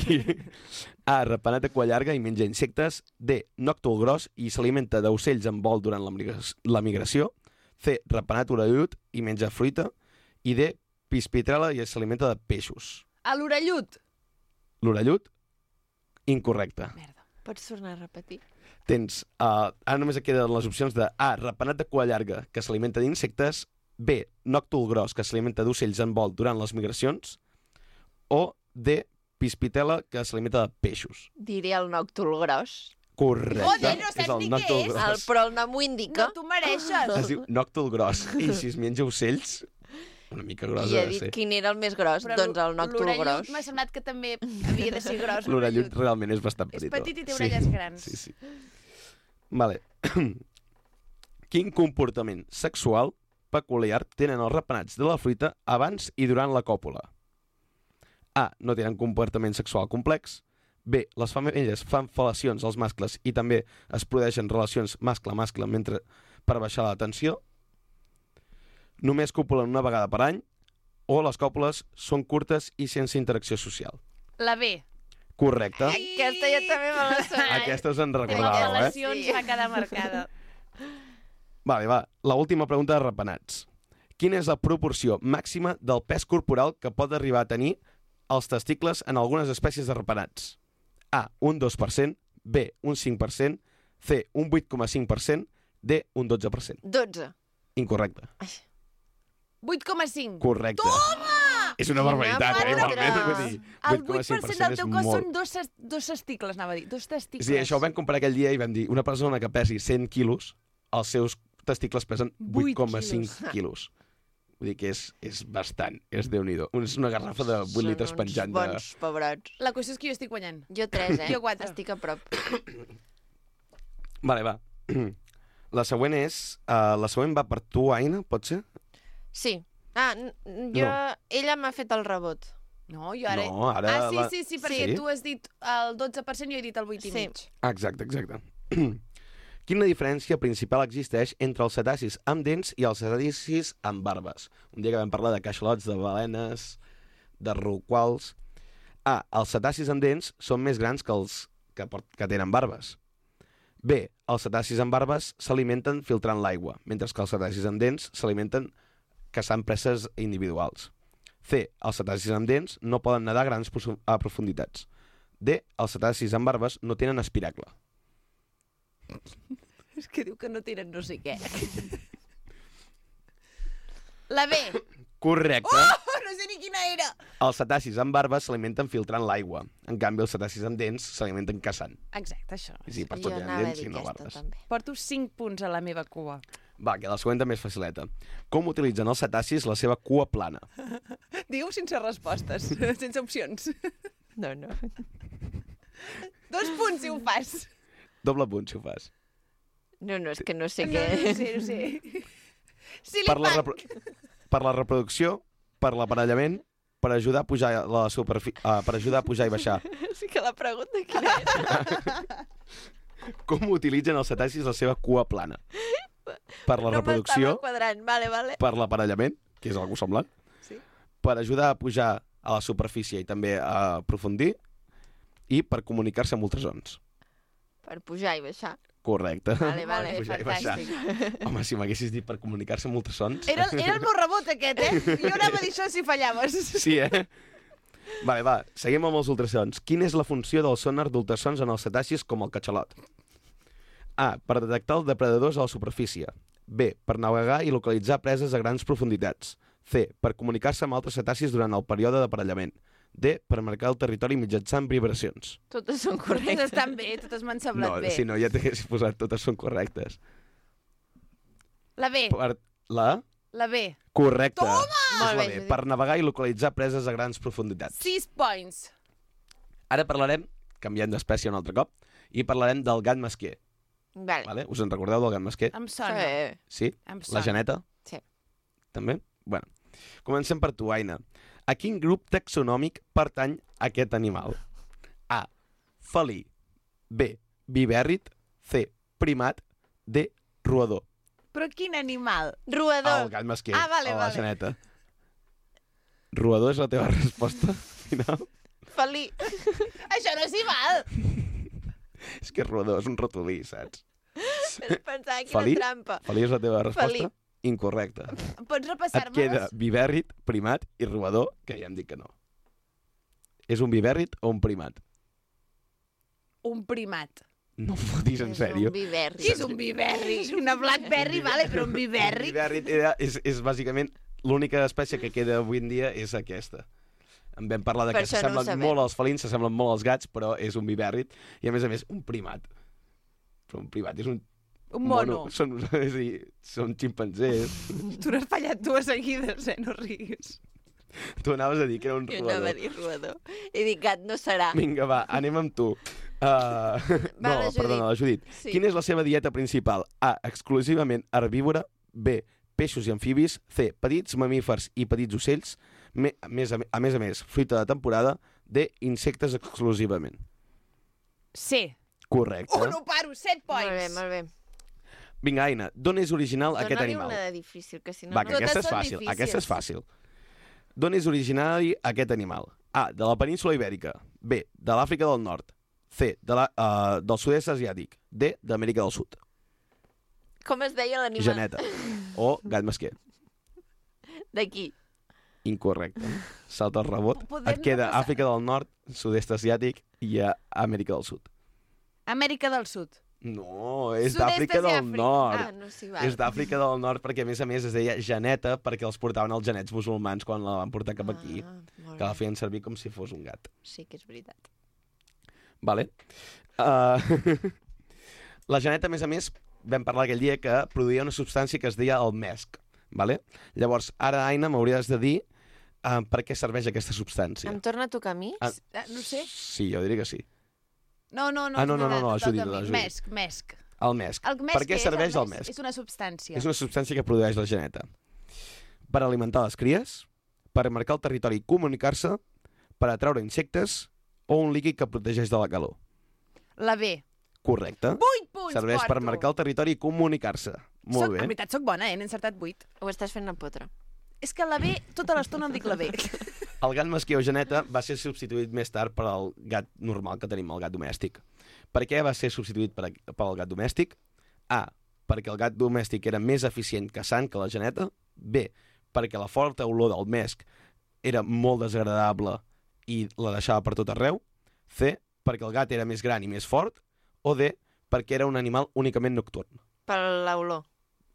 A, ratpenat de cua llarga i menja insectes. D, nòctul gros i s'alimenta d'ocells en vol durant la migra- la migració. C, ratpenat orellut i menja fruita. I D, pispitrela i s'alimenta de peixos. A l'orellut. L'orellut? Incorrecte. Merda. Pots tornar a repetir? Tens, uh, ara només et queden les opcions de A, ratpenat de cua llarga que s'alimenta d'insectes, B, nòctul gros que s'alimenta d'ocells en vol durant les migracions, o D, pispitela que s'alimenta de peixos. Diria el nòctul gros. Correcte. Joder, no saps és el ni què nòctul és. gros. El, però el nom ho indica. No t'ho mereixes. Es diu nòctul gros. I si es menja ocells, una mica grosa I he ha de dit ser. quin era el més gros, Però doncs el nòctul l'orellut gros. m'ha semblat que també havia de ser gros. L'orellut realment és bastant És petit. petit i té orelles grans. Sí, sí. Vale. Quin comportament sexual peculiar tenen els ratpenats de la fruita abans i durant la còpula? A. No tenen comportament sexual complex. B. Les femelles fan fel·lacions als mascles i també es produeixen relacions mascle-mascle mentre per baixar la tensió. Només copulen una vegada per any. O les còpules són curtes i sense interacció social. La B. Correcte. Aquesta ja també me la sonava. Aquesta us en La recordàveu, eh? relació ens Sí. va quedar marcada. Vale, va. La última pregunta de ratpenats. Quina és la proporció màxima del pes corporal que pot arribar a tenir els testicles en algunes espècies de ratpenats? A, un dos per cent, B, un cinc per cent, C, un vuit coma cinc per cent, D, un dotze per cent. dotze. Incorrecte. vuit coma cinc. Correcte. Toma! És una Quina barbaritat, eh? barra! Igualment, vull dir, El vuit coma vuit cinc per per cent cent del és teu cos molt. són dos, ces- dos testicles, anava a dir. Dos testicles. Sí, això ho vam comparar aquell dia i vam dir una persona que pesi cent quilos, els seus testicles pesen vuit Vuit coma cinc quilos. Vull dir que és, és bastant, és Déu-n'hi-do. És una garrafa de vuit litres Són penjant uns de... bons pebrots. La qüestió és que jo estic guanyant. Jo tres, eh? Jo quatre. Estic a prop. Vale, va. La següent és... Uh, la següent va per tu, Aina, pot ser? Sí. Ah, n- jo... No. Ella m'ha fet el rebot. No, jo ara... No, ara Ah, sí, la- sí, sí, perquè Sí? tu has dit el dotze per cent i jo he dit el vuit i Sí. mig. Ah, exacte, exacte. Quina diferència principal existeix entre els cetacis amb dents i els cetacis amb barbes? Un dia que vam parlar de caixalots, de balenes, de rorquals... A. Els cetacis amb dents són més grans que els que, port- que tenen barbes. B. Els cetacis amb barbes s'alimenten filtrant l'aigua, mentre que els cetacis amb dents s'alimenten caçant preses individuals. C. Els cetacis amb dents no poden nedar a grans profu- a profunditats. D. Els cetacis amb barbes no tenen espiracle. És que diu que no tenen no sé què. La B. Correcte. Oh, no sé ni quina era. Els cetacis amb barbes s'alimenten filtrant l'aigua. En canvi, els cetacis amb dents s'alimenten caçant. Exacte, això. I sí, per Jo tot hi ha anava a dents dir i no aquesta, barbes. també. Porto cinc punts a la meva cua. Va, que la següent també és facileta. Com utilitzen els cetacis la seva cua plana? Diu sense respostes, sense opcions. No, no. Dos punts si ho fas. Doble punt, si ho fas. No, no, és que no sé No, què... no sé, no sé. Si li Per la, fan... repro... per la reproducció, per l'aparellament, per ajudar a pujar la superfi... uh, per ajudar a pujar i baixar. Sí que la pregunta quina és. Com utilitzen els cetacis la seva cua plana? Per la No reproducció, m'estava quadrant. Vale, vale. per l'aparellament, que és algú semblant, Sí. per ajudar a pujar a la superfície i també a aprofundir, i per comunicar-se amb ultrasons. Per pujar i baixar. Correcte. Vale, vale. Molt bé, Pujar i baixar. fantàstic. Home, si m'haguessis dit per comunicar-se amb ultrasons... Era, era el meu rebot, aquest, eh? Jo anava a dir això si fallaves. Sí, eh? Vale, va, seguim amb els ultrasons. Quina és la funció del sonar d'ultrasons en els cetacis com el catxalot? A. Per detectar els depredadors a la superfície. B. Per navegar i localitzar preses a grans profunditats. C. Per comunicar-se amb altres cetacis durant el període d'aparellament. D. Per marcar el territori mitjançant vibracions. Totes són Totes correctes. estan bé, totes m'han No, semblat bé. si no, ja t'hagués posat, totes són correctes. La B, Per la... la B. Correcte. Toma! És Molt la bé, B. Judit. Per navegar i localitzar preses a grans profunditats. Six points. Ara parlarem, canviant d'espècie un altre cop, i parlarem del gat mesquer. Vale. Vale? Us en recordeu del gat mesquer? Em sona. Sí. Sí? Em La sona. Janeta? Sí. També? Bueno. Comencem per tu, Aina. A quin grup taxonòmic pertany aquest animal? A. Felí. B. Vivèrrit. C. Primat. D. Roedor. Però quin animal? Roedor. El gat mesquer. Ah, vale, a la vale. Janeta. Roedor és la teva resposta final? Felí. Això no s'hi val. És que roedor és un ratolí, saps? Pensava que Felí? era trampa. Felí és la teva resposta? Felí. Incorrecte. Pots Et repassar-me-les? queda vivèrrit, primat i roedor, que ja hem dit que no. És un vivèrrit o un primat? Un primat. No em fotis en És sèrio. un viverri. Què és un viverri? Una blackberry, vale, però un Un viverri? vivèrrit era, és, és bàsicament l'única espècie que queda avui en dia és aquesta. En vam parlar de Per que això no ho s'assemblen sabem. molt als felins, s'assemblen molt als gats, però és un vivèrrit i, a més a més, un primat. Però un primat és un... Un mono. Són, és a dir, són ximpanzés. Tu n'has fallat dues seguides, eh? No riguis. Tu anaves a dir que era un Jo anava a roedor. dir roedor. He dit gat no serà. Vinga, va, anem amb tu. Uh, Va, no, la Judit. perdona, la Judit. Sí. Quina és la seva dieta principal? A. Exclusivament herbívora. B. Peixos i amfibis. C. Petits mamífers i petits ocells. Me, a, més a, a més a més, fruita de temporada. D. Insectes exclusivament. Sí. Correcte. Oh, no paro, set points. Molt bé, molt bé. Vinga, Aina, d'on és original aquest Dóna-li animal? una de difícil, que si no... Va, que no... aquesta Totes és són fàcil. difícils. Aquesta és fàcil. D'on és originari aquest animal? A. De la península ibèrica. B. De l'Àfrica del Nord. C. De la, uh, del sud-est asiàtic. D. D'Amèrica del Sud. Com es deia l'animal? Janeta. O gat mesquer. D'aquí. Incorrecte. Salta el rebot. Podem Et queda repassar? Àfrica del Nord, sud-est asiàtic i a Amèrica del Sud. Amèrica del Sud. No, és Sud-est d'Àfrica del asiàtic. Nord. Ah, no s'hi val. És d'Àfrica del Nord perquè, a més a més, es deia Janeta perquè els portaven els genets musulmans quan la van portar cap aquí, Ah, molt que la bé. feien servir com si fos un gat. Sí que és veritat. Vale. Uh, la Janeta, a més a més, vam parlar aquell dia que produïa una substància que es deia el mesc. Vale? Llavors, ara, Aina, m'hauries de dir uh, per què serveix aquesta substància. Em torna a tocar a mi? Ah, Ah, no sé. Sí, jo diria que sí. No, no, no. Ah, no, no, no, no, toca Judit, a mi. la Judit. Mesc, mesc. El mesc. El mesc per què és? serveix el mesc? mesc? És una substància. És una substància que produeix la Janeta. Per alimentar les cries, per marcar el territori i comunicar-se, per atraure insectes o un líquid que protegeix de la calor. La B. Correcte. Vuit punts Serveix porto. per marcar el territori i comunicar-se. Molt soc, bé. En veritat, soc bona, eh? N'he encertat vuit. Ho estàs fent a potre. És que la B, tota l'estona em dic la B. El gat mesquer o Janeta va ser substituït més tard per al gat normal que tenim, el gat domèstic. Per què va ser substituït per, pel gat domèstic? A. Perquè el gat domèstic era més eficient caçant que la Janeta. B. Perquè la forta olor del mesc era molt desagradable i la deixava per tot arreu. C. Perquè el gat era més gran i més fort. O D. Perquè era un animal únicament nocturn. Per l'olor.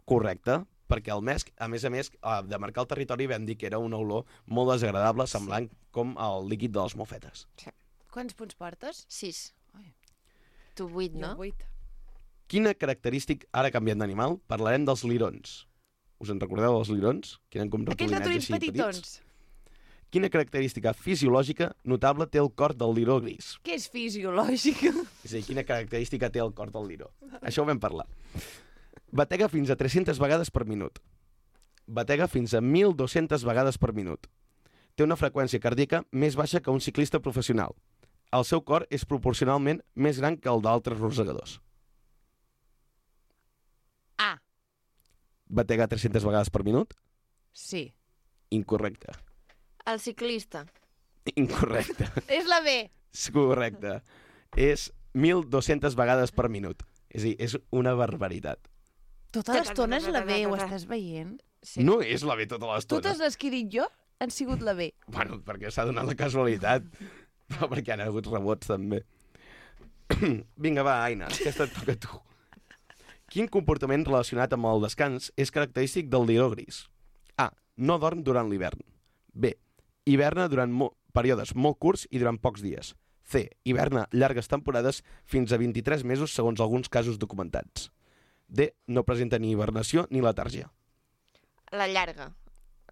Correcte, perquè el mesc, a més a més, eh, de marcar el territori vam dir que era una olor molt desagradable, semblant com el líquid de les mofetes. Quants punts portes? Sis. Ai. Tu vuit, Jo no? vuit. Quina característica, ara canviant d'animal, parlarem dels lirons. Us en recordeu dels lirons? Que eren com Aquells ratolinets ratolins així petitons. Quina característica fisiològica notable té el cor del liró gris? Què és fisiològic? És a dir, quina característica té el cor del liró? Això ho vam parlar. Batega fins a tres-centes vegades per minut. Batega fins a mil dues-centes vegades per minut. Té una freqüència cardíaca més baixa que un ciclista professional. El seu cor és proporcionalment més gran que el d'altres rosegadors. A. Batega tres-centes vegades per minut? Sí. Incorrecte. El ciclista. Incorrecte. És la B. És correcte. És mil dues-centes vegades per minut. És a dir, és una barbaritat. Tota l'estona és la B, ho estàs veient? Sí. No és la B tota l'estona. Totes les que he dit jo han sigut la B. Bueno, perquè s'ha donat la casualitat. Però perquè han hagut rebots, també. Vinga, va, Aina, aquesta et toca a tu. Quin comportament relacionat amb el descans és característic del liró gris? A. No dorm durant l'hivern. B. Hiverna durant mo períodes molt curts i durant pocs dies. C. Hiverna llargues temporades fins a vint-i-tres mesos segons alguns casos documentats. D. No presenta ni hibernació ni letàrgia. La llarga.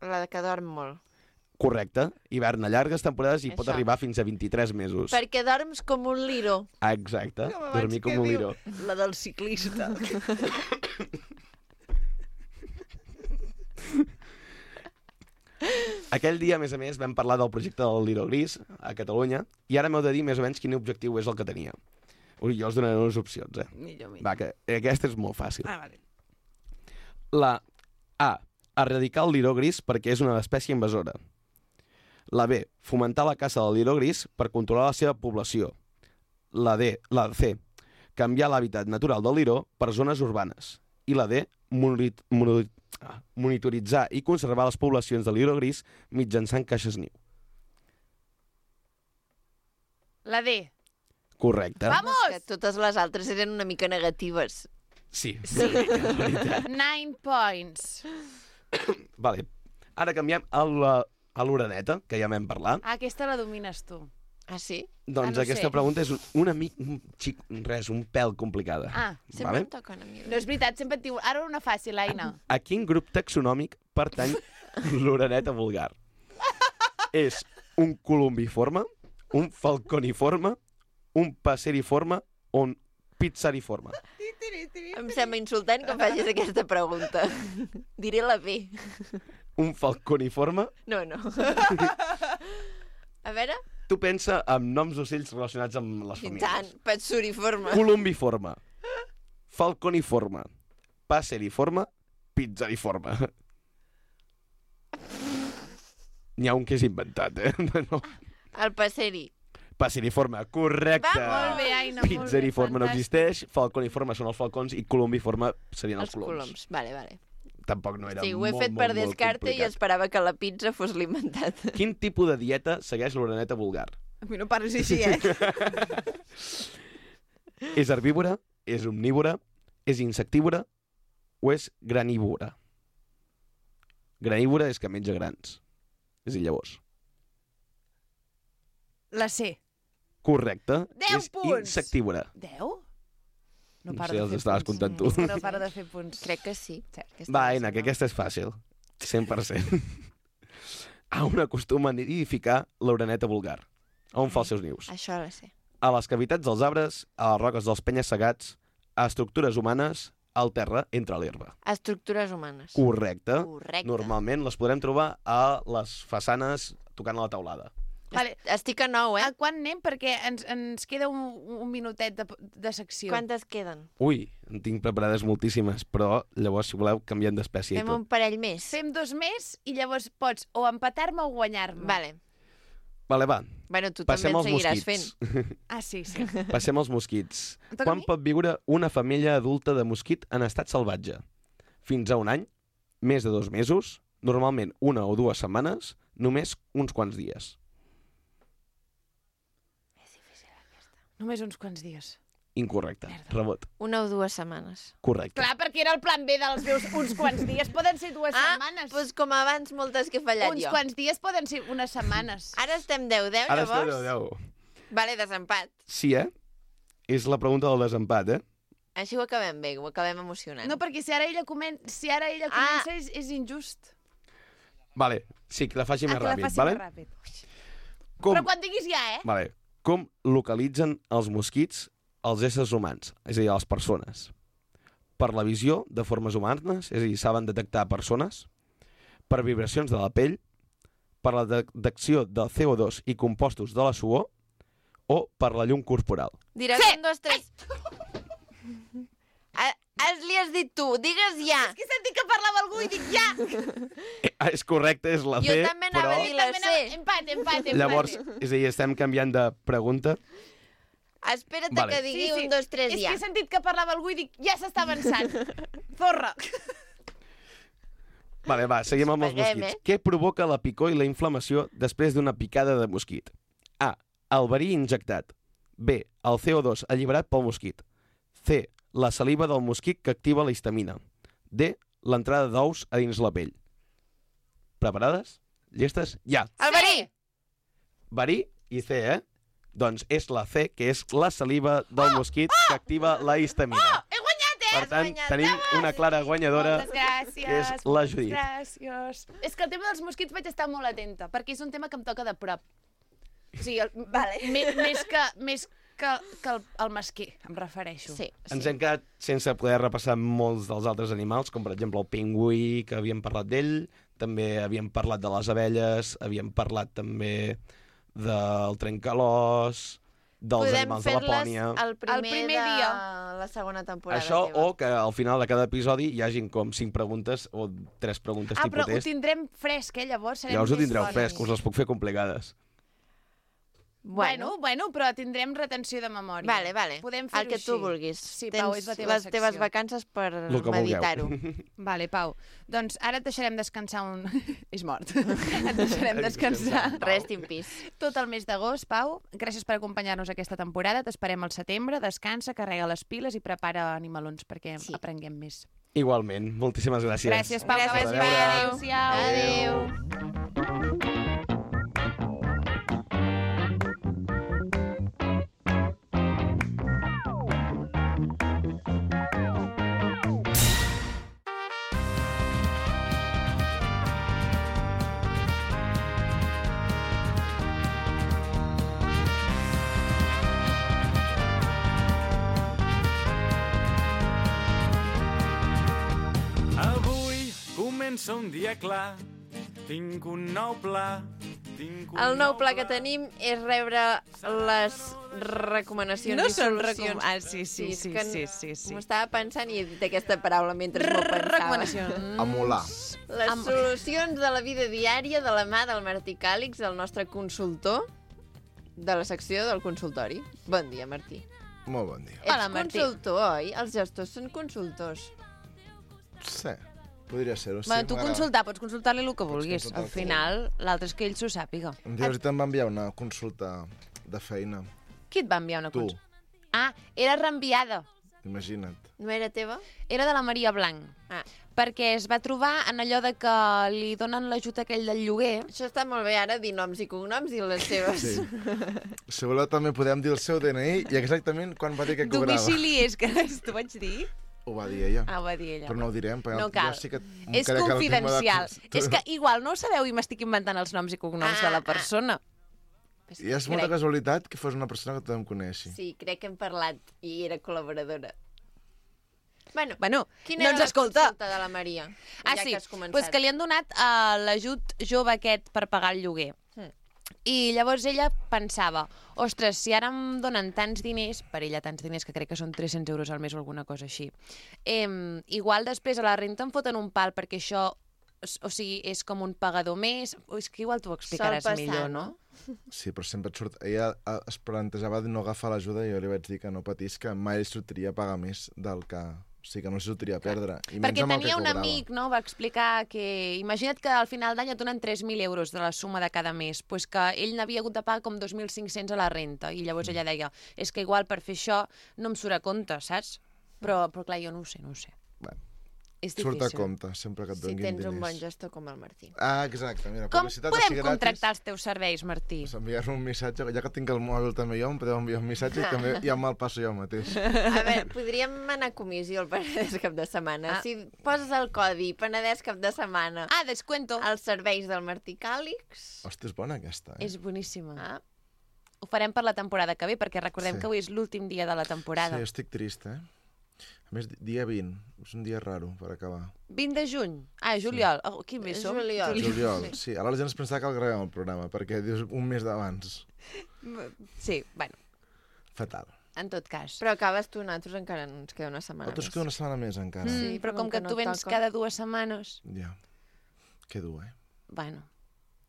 La que dorm molt. Correcte. Hivern a llargues temporades i pot Això. arribar fins a vint-i-tres mesos. Perquè dorms com un liro. Ah, exacte. Com abans Dormir que com un diu. liró. La del ciclista. Aquell dia, a més a més, vam parlar del projecte del Liro Gris a Catalunya i ara m'heu de dir més o menys quin objectiu és el que tenia. Ui, jo us donaré unes opcions, eh? Millor, millor. Va, que aquesta és molt fàcil. Ah, vale. La A. Erradicar el liró gris perquè és una espècie invasora. La B. Fomentar la caça del liró gris per controlar la seva població. La D. La C. Canviar l'hàbitat natural del liró per zones urbanes. I la D. Monit monit monitoritzar i conservar les poblacions de liró gris mitjançant caixes niu. La D. Correcte. Vamos! Que totes les altres eren una mica negatives. Sí. Sí. veritat. Nine points. Vale. Ara canviem a la- a l'oreneta, que ja vam parlar. Ah, aquesta la domines tu. Ah, sí? Doncs no aquesta sé. pregunta és una mica, un xic, res, un pèl complicada. Ah, Sempre em toquen a mi. no és veritat, sempre et diu... Ara una fàcil, Aina. A quin grup taxonòmic pertany l'oreneta vulgar? És un columbiforme, un falconiforme, un passeriforme o un pizzariforme? Em sembla insultant que em facis aquesta pregunta. Diré la B. Un falconiforme? No, no. A veure, Tu pensa en noms d'ocells relacionats amb les i tant, famílies. patsuriforme. Columbiforme, falconiforme, passeriforme, pizzariforme. N'hi ha un que és inventat, eh? No. El passeri. Passeriforme, correcte. Va, molt bé, Aina, molt bé, Pizzariforme no fantàstic. existeix, falconiforme són els falcons i columbiforme serien els, Els coloms. Vale, vale. Tampoc no era Sí, ho he molt, fet molt, per molt descarte i complicat. esperava que la pizza fos l'inventat. Quin tipus de dieta segueix l'oreneta vulgar? A mi no pares així, eh? És herbívora, és omnívora, és insectívora o és granívora? Granívora és que menja grans. És a dir, llavors. La C. Correcte. Deu és punts! insectívora. Deu? No paro sé, de els fer estaves punts. comptant tu. És que no paro de fer punts. Crec que sí. Sí, aquesta Va, no sé, Aina, que no? aquesta és fàcil. cent per cent. A on acostuma a nidificar l'oreneta vulgar? A on fa els seus nius? Això la sé. A les cavitats dels arbres, a les roques dels penya-segats, a estructures humanes, al terra, entre l'herba. Estructures humanes. Correcte. Correcte. Normalment les podrem trobar a les façanes tocant a la taulada. Vale. Estic a nou, eh? A quan anem? Perquè ens, ens queda un, un minutet de, de secció. Quantes queden? Ui, en tinc preparades moltíssimes, però llavors, si voleu, canviem d'espècie i Fem tot. un parell més. Fem dos més i llavors pots o empatar-me o guanyar-me. Vale. Vale, va, Bueno, tu passem també als en seguiràs mosquits. fent. Ah, sí, sí. Passem als mosquits. Em toca a Quan mi? pot viure una femella adulta de mosquit en estat salvatge? Fins a un any, més de dos mesos, normalment una o dues setmanes, només uns quants dies. Només uns quants dies. Incorrecte. Merda. Rebot. Una o dues setmanes. Correcte. Clar, perquè era el plan B dels meus uns quants dies. Poden ser dues Ah, setmanes. doncs com abans moltes que he fallat uns jo. quants dies poden ser unes setmanes. Ara estem deu deu, Ara està llavors? deu deu. Vale, desempat. Sí, eh? És la pregunta del desempat, eh? Així ho acabem bé, ho acabem emocionant. No, perquè si ara ella, comen... si ara ella Ah. comença és, és injust. Vale, sí, que la faci Ah, més que la ràpid, faci vale? més ràpid. Com, Però quan diguis ja, eh? vale. Com localitzen els mosquits els éssers humans, és a dir, les persones? Per la visió de formes humanes, és a dir, saben detectar persones, per vibracions de la pell, per la detecció del C O dos i compostos de la suor, o per la llum corporal. Diràs Sí. un, dos, tres... Ah, has, li has dit tu, digues ja. És que he sentit que parlava algú i dic ja! Eh, és correcte, és la Jo C, també anava però... a dir la També C. anava- Empat, empat, empat. Llavors, és a dir, estem canviant de pregunta. Espera't Vale. que digui un, dos, tres, És ja. que he sentit que parlava algú i dic ja s'està avançant. Zorra! Vale, va, seguim amb els Paguem, mosquits. eh? Què provoca la picor i la inflamació després d'una picada de mosquit? A. El verí injectat. B. El C O dos alliberat pel mosquit. C. La saliva del mosquit que activa la histamina. D. L'entrada d'ous a dins la pell. Preparades? Llestes? Ja! El verí! Verí i C, eh? Doncs és la C, que és la saliva del mosquit que activa la histamina. He guanyat, eh? Per tant, tenim una clara guanyadora, Moltes gràcies. que és la Judit. Gràcies. És que el tema dels mosquits vaig estar molt atenta, perquè és un tema que em toca de prop. O sigui, el, Vale. més, més que, més que, que el, el mesquer, em refereixo. Sí, Ens sí. hem quedat sense poder repassar molts dels altres animals, com per exemple el pingüí, que havíem parlat d'ell, també havíem parlat de les abelles, havíem parlat també del trencalòs, dels Podem animals de Lapònia... fer-les el primer, El primer de dia. la segona temporada Això, teva. o que al final de cada episodi hi hagin com cinc preguntes o tres preguntes Ah, però tipus ho test. tindrem fresc, eh, llavors? Serem Llavors ho més tindreu bones. fresc, us les puc fer complicades. Bueno, bueno, però tindrem retenció de memòria. Vale, vale. Podem fer-ho el que tu així. vulguis. Sí, Tens Pau, és la teva les secció. teves vacances per Lo que vulgueu. meditar-ho. Vale, Pau. Doncs ara et deixarem descansar un... És mort. Et deixarem descansar Rest in peace. tot el mes d'agost, Pau. Gràcies per acompanyar-nos aquesta temporada. T'esperem al setembre. Descansa, carrega les piles i prepara animalons perquè Sí. aprenguem més. Igualment, moltíssimes gràcies. Gràcies, Pau. Gràcies, que vagi Pau. bé. Adéu. Adéu. Avui comença un dia clar, tinc un nou pla, tinc un El nou pla que tenim és rebre les recomanacions No i són solucions. recom- Ah, sí, sí, és sí, que sí, sí, sí. M'ho estava pensant i he dit aquesta paraula mentre m'ho pensava. Recomanacions. Emular. Les Am- solucions de la vida diària de la mà del Martí Càlix, el nostre consultor de la secció del consultori. Bon dia, Martí. Molt bon dia. Hola, Ets Martí. consultor, oi? Els gestors són consultors. Sí, podria ser-ho. Sí, Bueno, tu m'agrada. consultar, pots consultar-li el que vulguis. consultar Al el que final, l'altre és que ell s'ho sàpiga. Un dia us te'n va enviar una consulta de feina. Qui et va enviar una Tu. consulta? Ah, era reenviada. Imagina't. No era teva? Era de la Maria Blanc. Ah. Perquè es va trobar en allò de que li donen l'ajut aquell del lloguer. Això està molt bé ara, dir noms i cognoms i les seves. Sí. Si voleu també podem dir el seu D N I i exactament quan va dir que cobrava. Domicili és que t'ho vaig dir? Ho va dir ella. Ah, ho va dir ella. Però no ho direm, perquè No cal. jo sí que... em És crec que el tema de confidencial. consulta- És que igual no ho sabeu i m'estic inventant els noms i cognoms Ah, de la ah. persona. I és molta Crec- casualitat que fos una persona que tothom coneixi. Sí, crec que hem parlat i era col·laboradora. Bueno, Bueno, quina no era ens la escolta. consulta de la Maria? Ah, ja sí, que has començat. pues que li han donat uh, l'ajut jove aquest per pagar el lloguer. Mm. I llavors ella pensava, ostres, si ara em donen tants diners, per ella tants diners, que crec que són tres-cents euros al mes o alguna cosa així, eh, igual després a la renta em foten un pal perquè això, o sigui, és com un pagador més, o és que igual tu ho explicaràs Sol passar, millor, no? Sí, però sempre et surt... Ella eh, es plantejava de no agafar l'ajuda i jo li vaig dir que no patís, que mai li sortiria pagar més del que... O sigui, que no li sortiria perdre. I menys Perquè amb el que tenia un cobrava. amic, no?, va explicar que... Imagina't que al final d'any et donen tres mil euros de la suma de cada mes, pues que ell n'havia hagut de pagar com dos mil cinc-cents a la renta, i llavors ella deia, és que igual per fer això no em surt a compte, saps? Però, però clar, jo no ho sé, no ho sé. Bueno, És surt a difícil. compte, sempre que et Si donin tens diners. un bon gestor com el Martí. Ah, exacte. Mira, Com publicitat podem així gratis. contractar els teus serveis, Martí? Pues enviar-me un missatge, ja que tinc el mòbil també jo, em podeu enviar un missatge i també ja me'l passo jo mateix. A veure, podríem anar a comissió el Penedès cap de setmana. Ah. Si poses el codi Penedès cap de setmana Ah, descuento. als serveis del Martí Càlix... Hòstia, és bona aquesta, eh? És boníssima. Ah, Ho farem per la temporada que ve, perquè recordem Sí. que avui és l'últim dia de la temporada. Sí, estic trist, eh? A més, dia vint, és un dia raro per acabar. vint de juny. Ah, juliol. Oh, quin mes som? Juliol. Juliol, sí. Ara la gent es pensava que el gravem el programa, perquè dius un mes d'abans. Sí, bueno, Fatal. en tot cas. però acabes tu, nosaltres encara ens queda una setmana Nosaltres més. queda una setmana més encara. Mm, Sí, però però com com que que tu no vens toca. cada dues setmanes, Ja. Que dur, eh? bueno.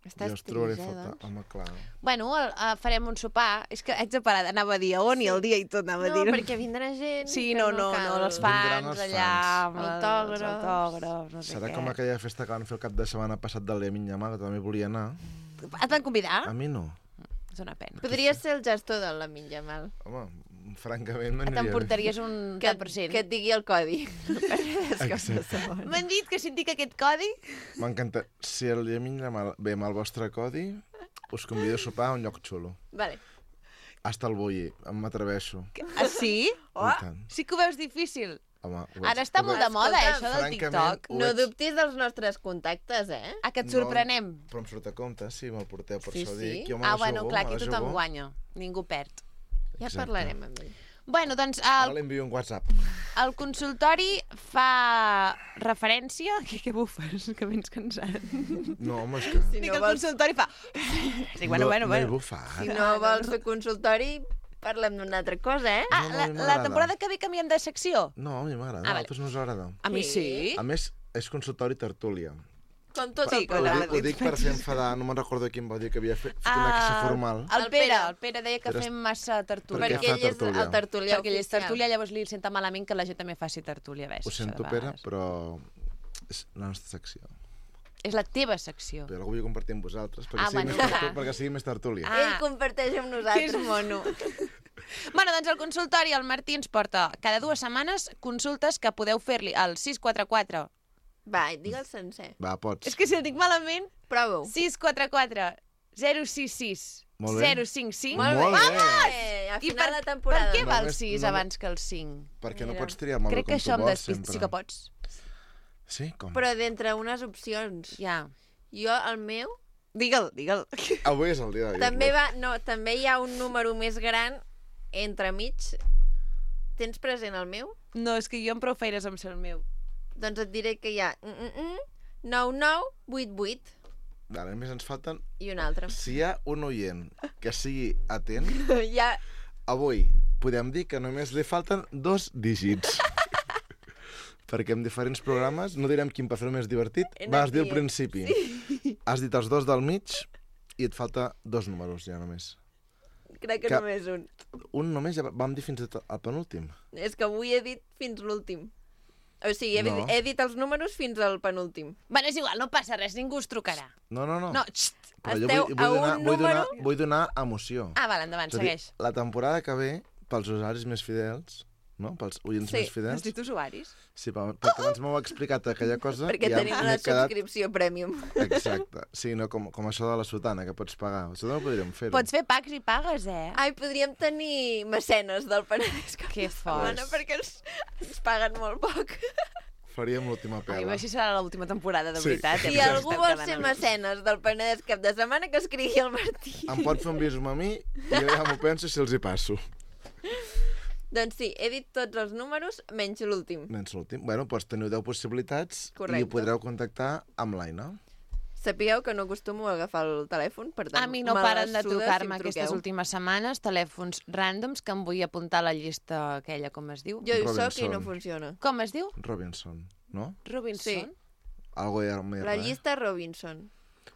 Estàs jo us trobaré trist, eh, falta. doncs? Home, clar. Bueno, el, uh, farem un sopar. És que haig de parar, anava a dir on i el dia i tot anava No, a dir. perquè vindrà gent Sí, que no, no, cal. no, els Vindran fans els allà, fans. amb els Autògrafs. autògrafs, no sé Serà què. com aquella festa que van fer el cap de setmana passat de l'Emin Yamal, que també volia anar. Et van convidar? A mi no. És una pena. Podries ser el gestor de la Minja Mal. Home, francament m'aniria... T'emportaries un Que, tant per cent. que et digui el codi. Exacte. M'han dit que si et dic aquest codi... M'encanta. Si l'Emin Yamal ve amb el vostre codi, us convido a sopar a un lloc xulo. Vale. Hasta el Bulli, m'atreveixo. Ah, sí? I tant. Sí que ho veus difícil. Home, ho Ara vaig- està ho molt vaig- de moda, Escolta, això del francament, TikTok. ho No veig- dubtis dels nostres contactes, eh? A que et No, sorprenem. Però em surt a compte, si me'l porteu, per Sí, això sí. dic. Jo me Ah, la bueno, jugo, clar, me aquí la tothom jugo. guanya. Ningú perd. Ja Exacte. parlarem amb ell. Bueno, doncs Ara el, li envio un WhatsApp. el consultori fa referència... Què, què bufes? Que vens cansat. No, home, és que... Si Dic, no el vols, consultori fa... Dic, bueno, no, bueno, no he bueno. bufat. si no vols fer consultori, parlem d'una altra cosa, eh? Ah, No, no, la, a mi la m'agrada. temporada que ve canviem de secció? No, a mi m'agrada, Ah, a vale. altres no us agrada. A mi sí. A més, és consultori tertúlia. Com tot Sí, el que Ho programa. dic, ho dic per fer enfadar, no me'n recordo qui em va dir que havia fet, fet una queixa formal. El El Pere, Pere. el Pere deia que Però és- fem massa tertúlia. Per què Perquè fa ell és tertúlia? el tertulià Perquè ell és oficial. tertúlia, llavors li senta malament que la gent també faci tertúlia. Ves, Ho això de sento, Pere, vegades. però és la nostra secció. És la teva secció. Però la vull compartir amb vosaltres perquè, Ah, sigui, bueno. més tertú, perquè sigui més tertúlia. Ah. Ell comparteix amb Que és nosaltres. mono. Bueno, doncs el consultori, el Martí ens porta cada dues setmanes consultes que podeu fer-li al sis quatre quatre. Va, digue'l sencer. Va, pots. És que si el dic malament, Prova-ho. sis quatre quatre zero sis sis Molt bé. zero cinc cinc. Molt bé. Eh, a I final per, de temporada. per què va el Només- sis només- abans que el cinc? Perquè no Mira. pots triar molt Crec com que això tu em vols, despista. sempre. Sí que pots. Sí, com? Però d'entre unes opcions. Ja. Jo, el meu, Digue'l, digue'l. Avui és el dia de també dir-lo. va... No, també hi ha un número més gran entremig. Tens present el meu? No, és que jo amb prou feines em sé el meu. Doncs et diré que hi ha mm, mm, mm, nou nou vuit vuit Ara, a més, ens falten... i un altre. Si hi ha un oient que sigui atent, Hi ha... avui podem dir que només li falten dos dígits. Perquè en diferents programes, no direm quin per fer-ho més divertit, He anat vas dir al dient, principi. Sí. Has dit els dos del mig i et falta dos números ja només. Crec que Que- només un. Un només ja vam dir fins al penúltim. És que avui he dit fins l'últim. O sigui, he, No. dit, he dit els números fins al penúltim. Bueno, és igual, no passa res, ningú us trucarà. No, no, no. No, xt. Però jo esteu vull, a vull, donar, un vull, donar, número- vull donar emoció. Ah, val, endavant, És a dir, segueix. la temporada que ve, pels usuaris més fidels, no? Pels oients Sí. més Has fidels, dit usuaris? sí, però, perquè abans m'heu explicat aquella cosa Perquè i ja tenim m'he una quedat... subscripció premium. Exacte. Sí, no, com, com això de la sotana, que pots pagar. Això no podríem fer-ho. Pots fer packs i pagues, eh? Ai, podríem tenir mecenes del Penedès cap Que de setmana, fort. perquè ens, ens paguen molt poc. Faríem l'última Ai, pela. així serà l'última temporada, de Sí. veritat. Si ja em algú esteu vol quedant ser a mi. mecenes del Penedès cap de setmana, que escrigui al Martí. Em pot fer un bisum a mi i jo ja m'ho penso si els hi passo. Doncs sí, he dit tots els números, menys l'últim. Menys l'últim. Bueno, doncs teniu deu possibilitats Correcte. i podreu contactar amb l'Aina. Sapigueu que no acostumo a agafar el telèfon, per tant, A mi no me paren la de suda trucar-me si em aquestes truqueu. últimes setmanes telèfons ràndoms que em vull apuntar a la llista aquella, com es diu? Jo hi soc i no Robinson. funciona. Com es diu? Robinson, no? Robinson? Sí. Algo de R. La llista Robinson.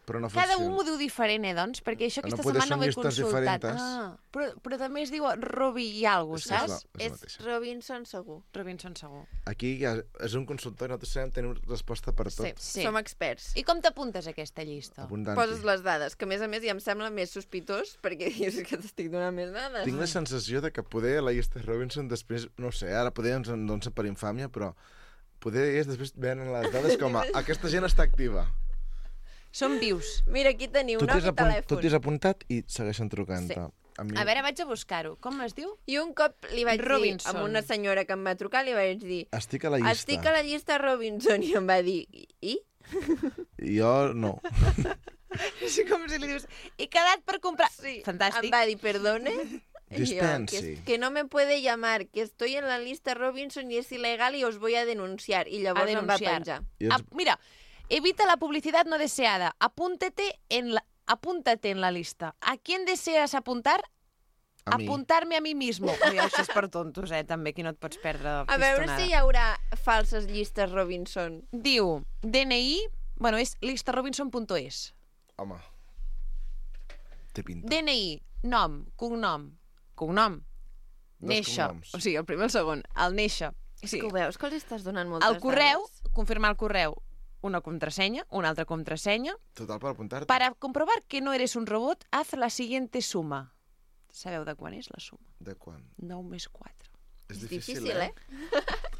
Però no Cada funciona. un m'ho diu diferent, eh, doncs? Perquè això No aquesta poder setmana són ho he llistes consultat. diferentes. Ah, però, però també es diu Robi i algo, És- és la- saps? és la És mateixa. Robinson segur. Robinson segur. Aquí ja és un consultori, nosaltres sabem, tenim resposta per tot. Sí, Sí. som experts. I com t'apuntes a aquesta llista? Apuntant-hi. Poses les dades, que a més a més ja em sembla més sospitós, perquè dius que t'estic donant més dades. Tinc la sensació de que poder la llista Robinson després, no ho sé, ara poder ens en donen per infàmia, però poder ells després venen les dades com a aquesta gent està activa. Som vius. Mira, aquí teniu Tu nom t'hi i has, apun tu telèfon. t'hi has apuntat i segueixen trucant-te. Sí. A mi... A veure, vaig a buscar-ho. Com es diu? I un cop li vaig Robinson. dir a una senyora que em va trucar, li vaig dir Estic a la llista. estic a la llista Robinson, i em va dir i? I jo no. És com si li dius... He quedat per comprar... Sí. Fantàstic. Em va dir, perdone. Y yo, Dispensi. que, es- que no me puede llamar, que estoy en la lista Robinson y es ilegal y os voy a denunciar. I A llavors em va denunciar. penjar. I Ah, ets... mira, evita la publicidad no deseada. Apúntate en la... Apúntate en la lista. ¿A quién deseas apuntar? A mi. Apuntarme a mi mismo. Ui, això és per tontos, eh, també, aquí no et pots perdre A veure pistonada. si hi haurà falses llistes Robinson. Diu, D N I, bueno, és listarobinson punt es. Home. Té pinta. D N I, nom, cognom, cognom, Dos néixer. cognoms. O sigui, el primer i el segon, el néixer. Sí. Que ho veus, que els estàs donant moltes El correu, dades? confirmar el correu, una contrasenya, una altra contrasenya. Total, per apuntar-te. Para comprobar que no eres un robot, haz la siguiente suma. Sabeu de quan és la suma? De quan? nou més quatre. És És difícil, difícil, eh?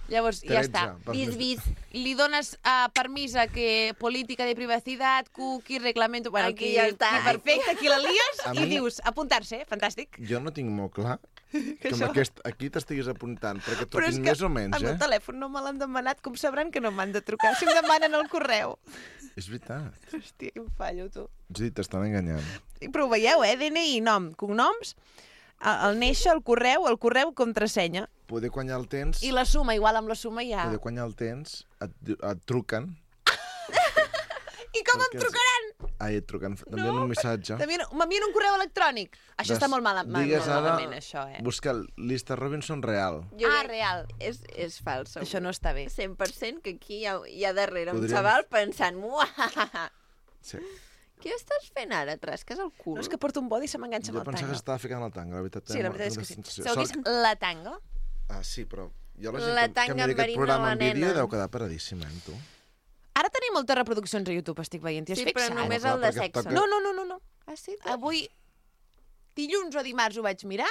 Llavors, ja està. Per Vis, més- vis. Li dones uh, permís a que política de privacidad, cookie, reglamento... Bueno, Aquí ja està. Aquí, perfecte, aquí la lies A i mi- dius apuntar-se, fantàstic. Jo no tinc molt clar Que amb aquest, aquí t'estiguis apuntant, perquè Però és truquin que més o menys, el meu eh? telèfon no me l'han demanat, com sabran que no m'han de trucar si em demanen el correu? És veritat. Hòstia, quin fallo, tu. Sí, t'estan enganyant. I però ho veieu, eh? D N I, nom, cognoms, el el néixer, el correu, el correu, contrasenya. Poder quan ja el tens, I la suma, igual amb la suma ja... poder quan ja el tens, et, et truquen. I com em Perquè els- trucaran? Ai, et truquen, t'envien un missatge. T'envien- M'envien un correu electrònic. Això Des- està molt, mala, mal, digues molt ara- malament, això, eh? Busca Lista Robinson real. Jo Ah, crec- real. És, és fals. segur. Això no està bé. cent per cent que aquí hi ha, hi ha darrere un Podríem- xaval pensant muahaha. Sí. Què estàs fent ara? Trasques el cul? No, és que porto un body i se m'enganxa amb Jo el pensava que tanga. s'estava ficant el tanga, la veritat. Sí, eh, la veritat és que aquesta sí. sensació. Sabeu què és Sort- la tanga? Ah, sí, però jo la La gent que, que tanga mira aquest marina, programa la en vídeo nena. deu quedar paradíssima, eh, tu? Ara tenim moltes reproduccions a YouTube, estic veient. T'hi has Sí, però fixat? només Clar, el de perquè sexe. toca- No, no, no, no, no. Ah, sí? Avui, dilluns o dimarts ho vaig mirar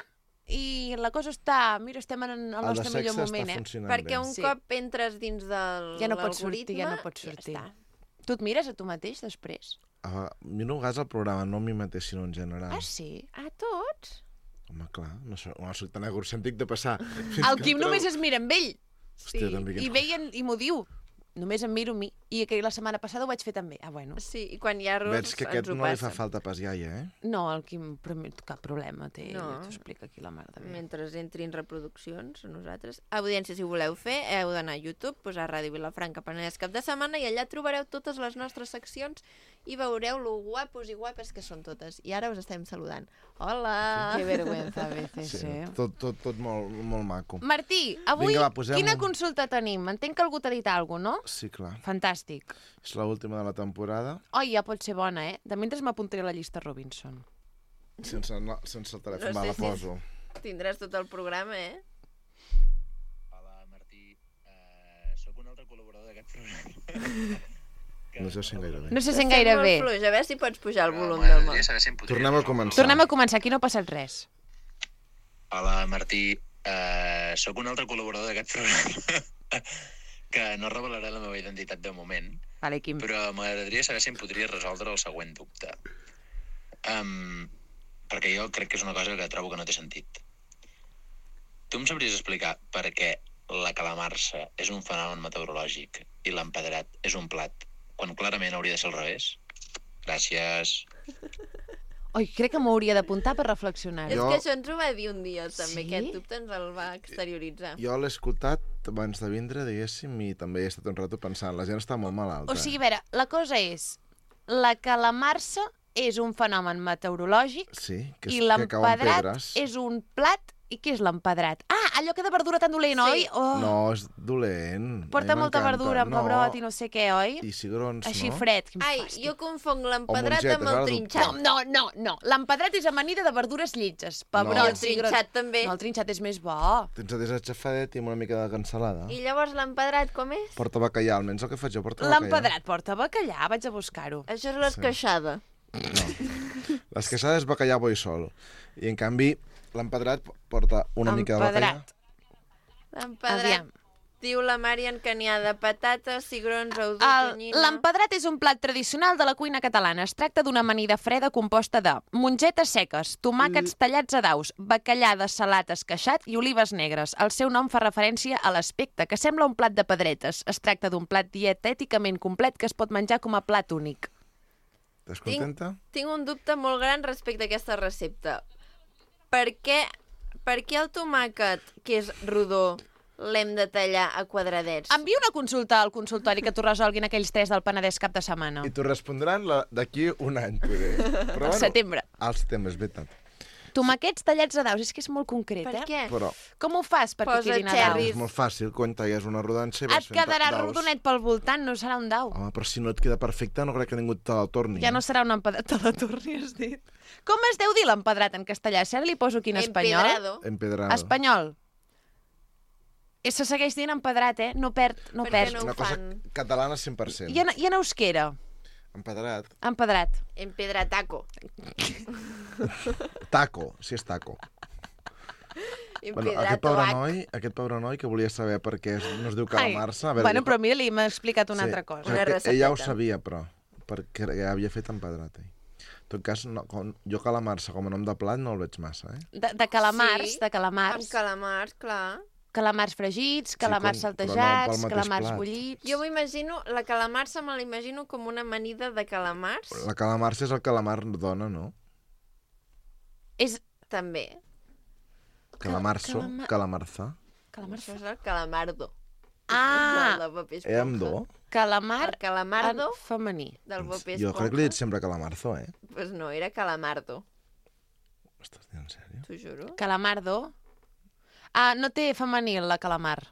i la cosa està... Mira, estem en el El de nostre sexe millor està moment, eh? funcionant Perquè bé. un Sí. cop entres dins del Ja no pots sortir, ja no l'algoritme, pots sortir. Ja està. Tu et mires a tu mateix després? Ah, miro gas al programa, no a mi mateix, sinó en general. Ah, sí? A tots? Home, clar, no soc, no soc tan egocèntric de passar. El Quim només es mira amb ell. Hòstia, també que I no. veien i m'ho diu. Només em miro a mi. I que la setmana passada ho vaig fer també. Ah, bueno. Sí, i quan hi ha errors Veig que aquest ens ho no li fa passen. falta pas iaia, eh? No, el Quim però cap problema té. No. No. T'ho explica aquí la mare de bé. Mentre entrin reproduccions, a nosaltres. Audiència, si ho voleu fer, heu d'anar a YouTube, posar Ràdio Vilafranca Penedès cap de setmana i allà trobareu totes les nostres seccions i veureu lo guapos i guapes que són totes. I ara us estem saludant. Hola! Que vergüenza a veces, Sí, eh? tot, tot, tot molt, molt maco. Martí, avui Vinga, va, posem quina un- consulta tenim? Entenc que algú t'ha dit alguna cosa, no? Sí, clar. Fantàstic. És l'última de la temporada, Oi, ja pot ser bona, eh? De mentre m'apuntaré a la llista Robinson. sense, no, sense el telèfon. No Va, sé la si- poso. Tindràs tot el programa, eh? Hola, Martí. Uh, soc un altre col·laborador d'aquest programa. No se sent gaire bé. No se sent Estem gaire molt bé. fluix, a veure si pots pujar el Però volum del m'agradaria món. saber si em podries Tornem a resoldre. començar. Tornem a començar, aquí no ha passat res. Hola, Martí. Uh, soc un altre col·laborador d'aquest programa que no revelaré la meva identitat de moment, Vale, Quim. però m'agradaria saber si em podries resoldre el següent dubte. Um, perquè jo crec que és una cosa que trobo que no té sentit. Tu em sabries explicar per què la calamarsa és un fenomen meteorològic i l'empedrat és un plat, quan clarament hauria de ser al revés? Gràcies. Oi, crec que m'hauria d'apuntar per reflexionar. És Jo- que això ens ho va dir un dia, també. Sí? Aquest dubte ens el va exterioritzar. Jo l'he escoltat abans de vindre, diguéssim, i també he estat un rato pensant, la gent està molt malalta. O sigui, a veure, la cosa és, la calamarsa és un fenomen meteorològic sí, que, i és, que cauen l'empedrat pedres. és un plat. I què és l'empedrat? Ah, allò que de verdura tan dolent, Sí. oi? Oh, No, és dolent. porta A mi molta m'encanta. verdura, amb pebrot i no sé què, oi? I cigrons, Així no? fred, quin Ai, fàstic. jo confonc l'empedrat mongetes, amb ara el dubto. trinxat. No, no, no. L'empedrat és amanida de verdures lletges. Pebrot, No. I el trinxat també. No, el trinxat és més bo. Tens de aixafadet i amb una mica de cansalada. I llavors l'empedrat com és? Porta bacallà, almenys el que faig jo, porta bacallà. L'empedrat porta bacallà, vaig a buscar-ho. Això és l'esqueixada. L'esqueixada és bacallà bo i sol. I, en canvi, l'empedrat porta una mica de bacallà. Empedrat. L'empedrat, Aviam. diu la Marian que n'hi ha de patates, cigrons, ous de El- tonyina... L'empedrat és un plat tradicional de la cuina catalana. Es tracta d'una amanida freda composta de mongetes seques, tomàquets tallats a daus, bacallà de salat esqueixat i olives negres. El seu nom fa referència a l'aspecte, que sembla un plat de pedretes. Es tracta d'un plat dietèticament complet que es pot menjar com a plat únic. Estàs Tinc, contenta? tinc un dubte molt gran respecte a aquesta recepta. Per què, per què el tomàquet, que és rodó, l'hem de tallar a quadradets? Envia una consulta al consultori que t'ho resolguin aquells tres del Penedès cap de setmana. I t'ho respondran la- d'aquí un any, poder. Però, Al setembre. Al setembre, és veritat. Tomàquets tallats a daus, és que és molt concret, Per eh? què? Però Com ho fas perquè Posa quedin a cherries. és daus? molt fàcil, quan talles una rodanxa i vas Et fent quedarà daus. rodonet pel voltant, no serà un dau. Home, però si no et queda perfecte, no crec que ningú te la torni. Ja no serà un empedrat de la torre, has dit. Com es deu dir l'empedrat en castellà? Si ara li poso aquí en espanyol. Empedrado. Empedrado. Espanyol. I se segueix dient empedrat, eh? No perd, no Per què perd. no? Una cosa fan. catalana cent per cent. I en, I en euskera? Empedrat. Empedrat. Empedrataco. Taco, si és taco. Bueno, Empedrato aquest pobre H. noi, aquest pobre noi que volia saber per què es- no es diu calamarsa... a veure, bueno, jo- però mira, li m'ha explicat una Sí, altra cosa. Una perquè ella ho recepteta. sabia, però, perquè havia fet empedrat. Ell. En tot cas, no, com, jo calamarsa com a nom de plat no el veig massa, eh? De, de calamars, Sí, de calamars. Amb calamars, clar. Calamars fregits, calamars com- però no pel saltejats, mateix calamars plat. bullits... Jo m'imagino, la calamarsa me l'imagino com una amanida de calamars. La calamarsa és el calamar dona, no? És... També. Calamarso, calama- calamarza. Calamars... Això és el calamardo. Ah, Del Bob Eh, amb do? calamar El calamardo en femení. del Bob Esponja. Jo crec que li he dit sempre calamarzo, eh? Pues no, era calamardo, Estàs dient en sèrio? t'ho juro. Calamardo. Ah, no té femení la calamar.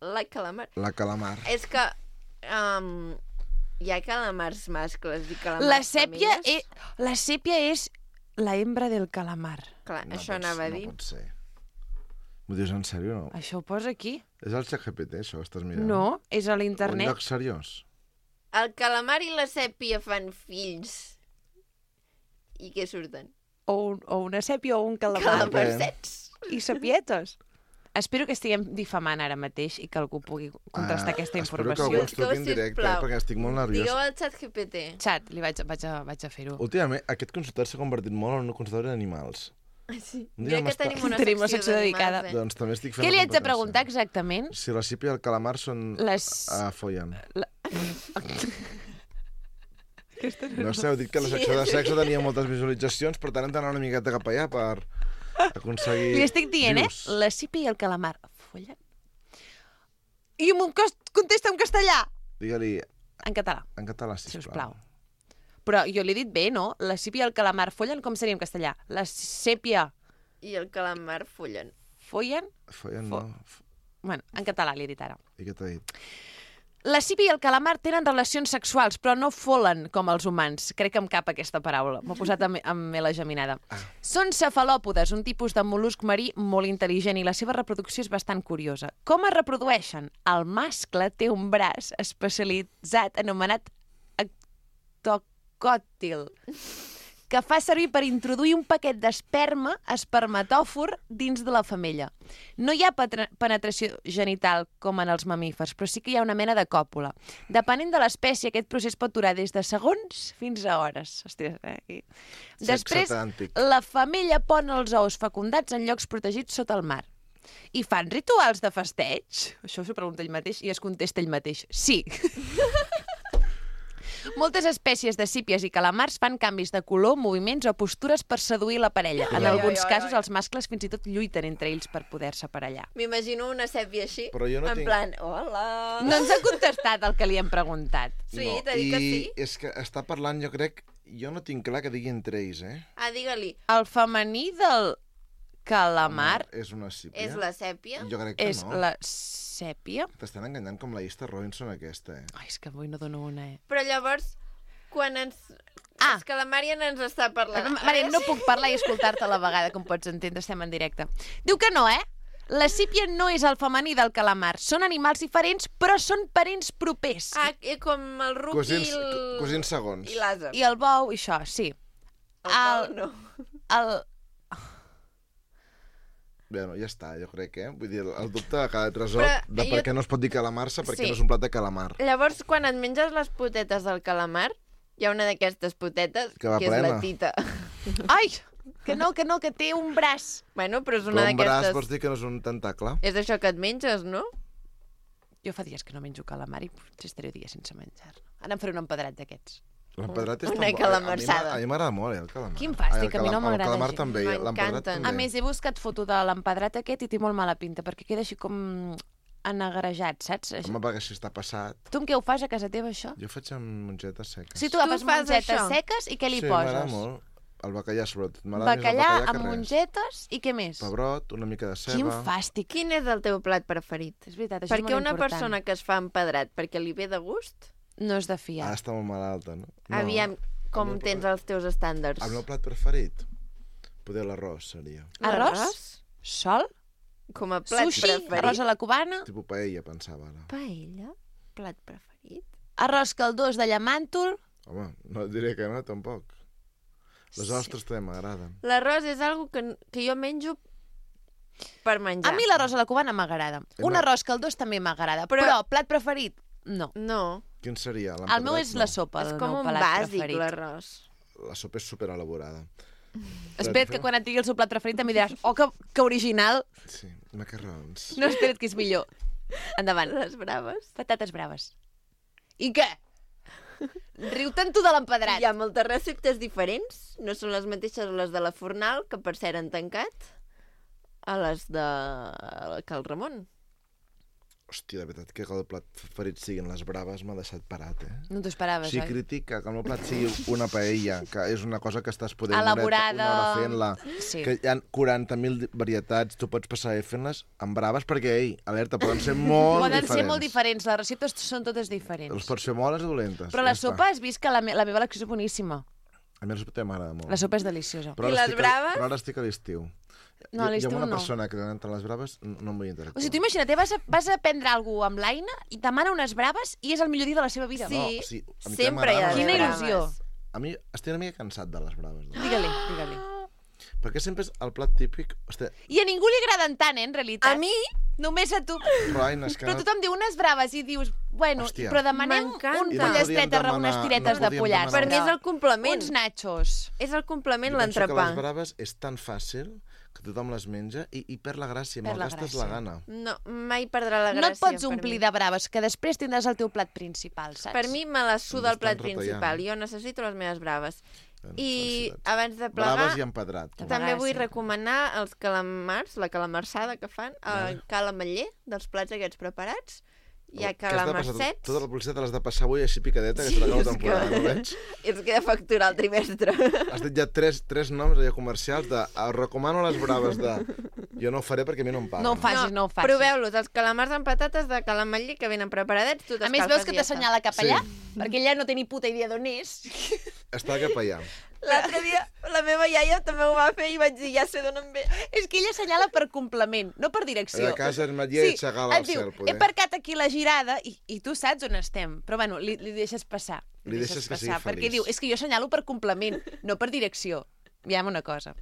La calamar... La calamar. És que um, hi ha calamars mascles i calamars La sèpia, femelles. és, la sèpia és la hembra del calamar. Clar, No això pot- anava a dir. No pot ser. M'ho dius en sèrio, no? Això ho posa aquí? És el ChatGPT, això que estàs mirant? No, és a Un l'internet. lloc seriós? El calamar i la sèpia fan fills. I què surten? O, un, o una sèpia o un calamar. Calamarsets. I sapietes. Espero que estiguem difamant ara mateix i que algú pugui contrastar Ah, aquesta espero que informació. algú ens truqui en directe, eh, sisplau. perquè estic molt nerviós. Digueu al xat G P T. Xat, li vaig, vaig, a, vaig a fer-ho. Últimament, aquest consultori s'ha convertit molt en un consultori d'animals. Sí. Un dia Mira que m'està- tenim una Tenim una secció, secció d'animals, dedicada. eh? Doncs també estic fent Què la li haig de competència. preguntar exactament? Si la sípia i el calamar són... Les... Ah, follen. La... No sé, heu dit que la secció de sexe tenia moltes visualitzacions, per tant hem d'anar una miqueta cap allà per aconseguir... Li estic dient, eh? views. La sípia i el calamar follen. I em cos- contesta en castellà. Digue-li En català, en català, sisplau. sisplau. Però jo l'he dit bé, no? La sípia i el calamar follen, com seria en castellà? La sèpia I el calamar follen. follen? Follen, Fo- no? F- Bueno, en català l'he dit ara. I què t'ha dit? La sípia i el calamar tenen relacions sexuals, però no folen com els humans. Crec que em cap aquesta paraula. M'ho he posat amb, amb me la geminada. Ah. Són cefalòpodes, un tipus de mol·lusc marí molt intel·ligent i la seva reproducció és bastant curiosa. Com es reprodueixen? El mascle té un braç especialitzat anomenat ectocòtil, que fa servir per introduir un paquet d'esperma espermatòfor dins de la femella. No hi ha petre- penetració genital com en els mamífers, però sí que hi ha una mena de còpula. Depenent de l'espècie, aquest procés pot durar des de segons fins a hores. Hòstia, eh? Aquí. Després, Sexe tàntic. la femella pon els ous fecundats en llocs protegits sota el mar. I fan rituals de festeig? Això s'ho pregunta ell mateix i es contesta ell mateix. Sí. Moltes espècies de sípies i calamars fan canvis de color, moviments o postures per seduir la parella. En Ai, alguns ai, ai, casos, ai. els mascles fins i tot lluiten entre ells per poder-se aparellar. M'imagino una sèpia així, Però jo no en tinc- plan, hola. No ens ha contestat el que li hem preguntat. Sí, no. t'ha dit que sí. I és que està parlant, jo crec... Jo no tinc clar que digui entre ells, eh? Ah, digue-li, El femení del calamar És una sípia. és la sèpia? Jo crec que és no. la sèpia. T'estan enganyant com la llista Robinson aquesta, eh? Ai, és que avui no dono una, eh? Però llavors, quan ens... Ah. És que la Màrian ens està parlant. Maria, no puc parlar i escoltar-te a la vegada, com pots entendre, estem en directe. Diu que no, eh? La sípia no és el femení del calamar. Són animals diferents, però són parents propers. Ah, eh, com el Ruki Cosins, i el... cosins segons. I l'Asa. I el bou, i això, sí. El el- no. El... Bé, no, ja està, jo crec, eh? Vull dir, el dubte ha quedat resolt Però de per jo- què no es pot dir calamarsa, perquè Sí. no és un plat de calamar. Llavors, quan et menges les potetes del calamar, hi ha una d'aquestes potetes Que va és la plena. tita. Ai, que no, que no, que té un braç. Bueno, però és Però una un braç d'aquestes... vols dir que no és un tentacle? És això que et menges, no? Jo fa dies que no menjo calamar i potser estaré dies sense menjar. Ara em faré un empedrat d'aquests. L'empedrat és Una tan bo. calamarsada. A mi m'agrada molt, eh, el calamar. Quin fàstic, Ai, el a mi no calam- m'agrada El calamar gens. també, l'empedrat M'encanten. també. A més, he buscat foto de l'empedrat aquest i té molt mala pinta, perquè queda així com enegrejat, saps? Així. Home, perquè si està passat... Tu amb què ho fas a casa teva, això? Jo faig amb mongetes seques. Si tu Tu agafes fas mongetes això? seques i què li sí, poses? m'agrada molt. El bacallà, sobretot. M'agrada més el Bacallà bacallà que amb res. mongetes i què més? Pebrot, una mica de ceba... Quin fàstic. Quin és el teu plat preferit? És veritat, això Per és què molt una important. persona que es fa empedrat, perquè li ve de gust? No és de Ara fiar. està molt malalta, no? no. Aviam, com meu tens plat- els teus estàndards? El meu plat preferit? Poder l'arròs seria. Arròs? Sol? Com a plat Sushi? preferit? Arròs a la cubana? Tipus paella, pensava ara. Paella? Plat preferit? Arròs caldós de llamàntol? Home, no et diré que no, tampoc. Les ostres també m'agraden. L'arròs és algo que, que jo menjo per menjar. A mi l'arròs a la cubana m'agrada. Un Emma. arròs caldós també m'agrada. Però- Però... plat preferit? No. No, Quin seria? El meu és no. la sopa, és el com meu un plat bàsic, preferit. l'arròs. la sopa és superelaborada. Espera't que quan et digui el seu plat preferit també diràs oh, que, que original. Sí, macarrons. No, espera't, que és millor. Endavant. Les braves. Patates braves. I què? Riu-te'n tu de l'empedrat. Hi ha moltes receptes diferents. No són les mateixes les de la Fornal, que per cert han tancat, a les de Cal Ramon. Hòstia, de veritat, que el plat preferit siguin les braves m'ha deixat parat, eh? No t'ho esperaves, Sí, oi? critica que el meu plat sigui una paella, que és una cosa que estàs podent Elaborada. una hora fent-la, Sí. que hi ha quaranta mil varietats, tu pots passar fent-les amb braves, perquè, ei, alerta, poden ser molt Poden diferents. ser molt diferents, les receptes són totes diferents. Les pots fer moles o dolentes. Però la ja està. sopa has vist que la, me la meva elecció és boníssima. A mi la sopa m'agrada molt. La sopa és deliciosa. Però I ara les estic a- braves? Però ara estic a l'estiu. No, a I- l'estiu I amb una no. persona que entre les braves no no em vull interactuar. O sigui, tu imagina't, eh, vas a, vas a prendre alguna cosa amb l'Aina i et demana unes braves i és el millor dia de la seva vida. Sí, No, sí, a mi també sempre hi ha m'agraden Quina les braves. il·lusió. A mi estic una mica cansat de les braves. No? Digue-li, digue-li. Perquè sempre és el plat típic... Hosti, I a ningú li agraden tant, eh, en realitat. A mi Només a tu. però, Aina, és que... Però tothom diu unes braves i dius, bueno, Hòstia. però demanem M'encanta. un I no pollastre podíem unes demanar- tiretes no de podíem pollastre. per mi és el complement. Uns nachos. És el complement, Jo penso que l'entrepà. les braves és tan fàcil que tothom les menja i, i perd la gràcia, Perd la malgastes gràcia. la gana. No, mai perdrà la gràcia. No et pots per omplir mi. de braves, que després tindràs el teu plat principal, saps? Per mi me la suda el Em plat estan retallant. principal. Jo necessito les meves braves. Doncs, I felicitats. abans de plegar, Braves i empedrat. De també vegades vull sí. recomanar els calamars, la calamarsada que fan, el Vale. calamaller, dels plats aquests preparats. Hi ha Què has de passar? calamarsets. Tota la publicitat l'has de passar avui així picadeta, que se t'acaba la temporada, no veig? I ens queda facturar el trimestre. Has dit ja tres, tres noms allà comercials de "Ah, recomano les braves de... Jo no ho faré perquè a mi no em paguen. No ho facis, no ho facis. Proveu-los, els calamars amb patates de calamaller que venen preparadets. Tu A més, veus que t'assenyala cap allà? Sí. Perquè ella no té ni puta idea d'on és. Està cap allà. L'altre dia la meva iaia també ho va fer i vaig dir, ja sé d'on em ve. És que ella assenyala per complement, no per direcció. A casa en Matller i xagala et al diu, cel, he poder. aparcat aquí la girada i, i tu saps on estem. Però bueno, li, li deixes passar. Li deixes que sigui Perquè feliç. diu, és que jo assenyalo per complement, no per direcció. Aviam una cosa.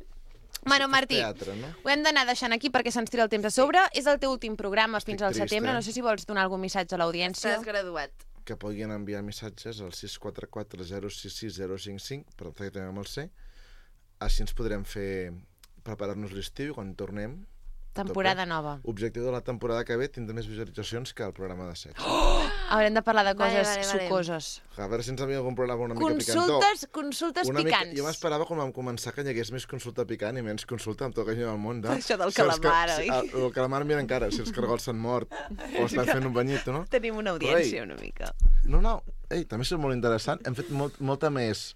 Bueno, Martí, Teatre, no? ho hem d'anar deixant aquí perquè se'ns tira el temps a sobre. És el teu últim programa fins al trist, setembre. eh? No sé si vols donar algun missatge a l'audiència. Estàs graduat. Que puguin enviar missatges al sis quatre quatre zero sis sis zero cinc cinc, per tant que també amb el C. Així ens podrem fer preparar-nos l'estiu i quan tornem... Temporada tope. nova. Objectiu de la temporada que ve tindrà més visualitzacions que el programa de sexe. Haurem de parlar de Vale, coses vale, vale. sucoses. A veure si ens havia algun programa una mica Consultes, picantó. consultes Una mica, picants. jo m'esperava quan vam començar que hi hagués més consulta picant i menys consulta amb tot el del món. De, Això del si els calamar, ca- oi? si, el, el calamar, mira encara, si els cargols s'han mort o estan fent un banyito, no? Tenim una audiència una mica. No, no, ei, també és molt interessant. Hem fet molt, molta més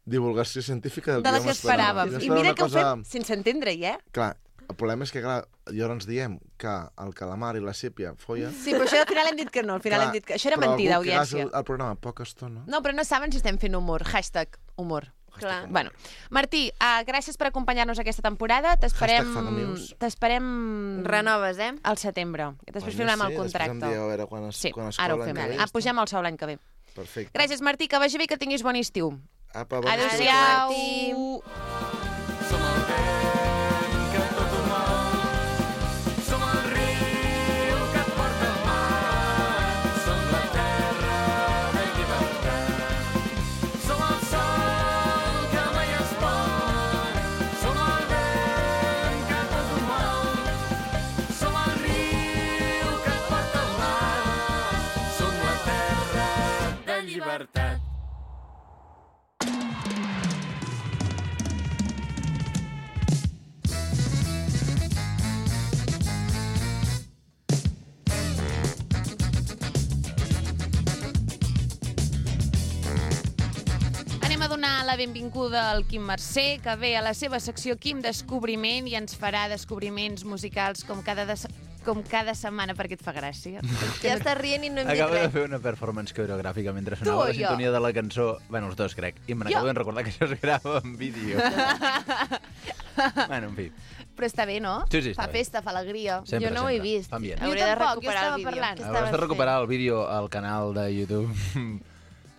divulgació científica del De la jo que m'esperava. esperàvem. Jo I esperava mira una que ho cosa- fem sense entendre-hi, eh? Clar, el problema és que, clar, llavors ens diem que el calamar i la sèpia follen. Sí, però això al final hem dit que no, al final Clar, hem dit que... Això era però mentida, algú que agafi audiència. El, el programa poca estona. No, però no saben si estem fent humor. Hashtag humor. Clar. Bueno, Martí, uh, gràcies per acompanyar-nos aquesta temporada. T'esperem... Hashtag Fagamius. T'esperem... Renoves, eh? al setembre. I després Ai, no firmem sé, el contracte. Després em dieu a veure quan es, Sí, quan es ara ho cola fem. l'any que ve, Ah, ja pugem el sou l'any que ve. està. Perfecte. Gràcies, Martí, que vagi bé i que tinguis bon estiu. Apa, bon estiu. Adéu-siau. Martí. Som el vent que tot ho mou. Som el riu que et porta al mar. Som la terra de llibertat. Som el sol que mai es pon. Som el vent que tot ho mou. Som el riu que et porta al mar. Som la terra de llibertat. Anem a donar la benvinguda al Quim Mercè, que ve a la seva secció Quim Descobriment i ens farà descobriments musicals com cada, de... com cada setmana, perquè et fa gràcia. Ja estàs rient i no hem dit Acabo de res. fer una performance coreogràfica mentre Tu sonava o la jo? sintonia de la cançó. Bueno, els dos, crec. I me n'acabo de recordar que això es grava en vídeo. Bueno, en fi. Però està bé, no? Sí, sí, està fa bé. festa, fa alegria. Sempre, Jo no ho he sempre. vist. Fa ambient. Jo Hauré de tampoc, jo recuperar estava el vídeo. parlant. Què Hauràs estaves de recuperar el vídeo al canal de YouTube.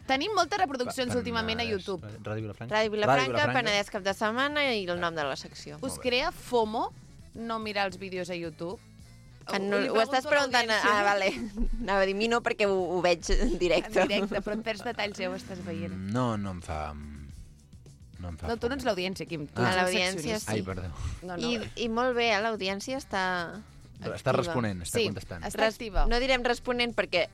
Tenim moltes reproduccions últimament a Penedès. YouTube. Ràdio Vilafranca? Ràdio Vilafranca, Penedès cap de setmana i el nom de la secció. Us crea FOMO no mirar els vídeos a YouTube? Ah, no, Li ho estàs pregunto a preguntant... l'audiència. Ah, vale. Anava a dir, mi no, perquè ho, ho veig en En directe. directe, però en perds detalls ja ho estàs veient. No, no em fa... No em fa No, tu no ets por- l'audiència, Quim. Tu A ets el l'audiència seccionista. Ai, sí. perdó. No, no. I, I molt bé, eh? L'audiència està... Està activa. responent, està Sí, contestant. està activa. No direm responent perquè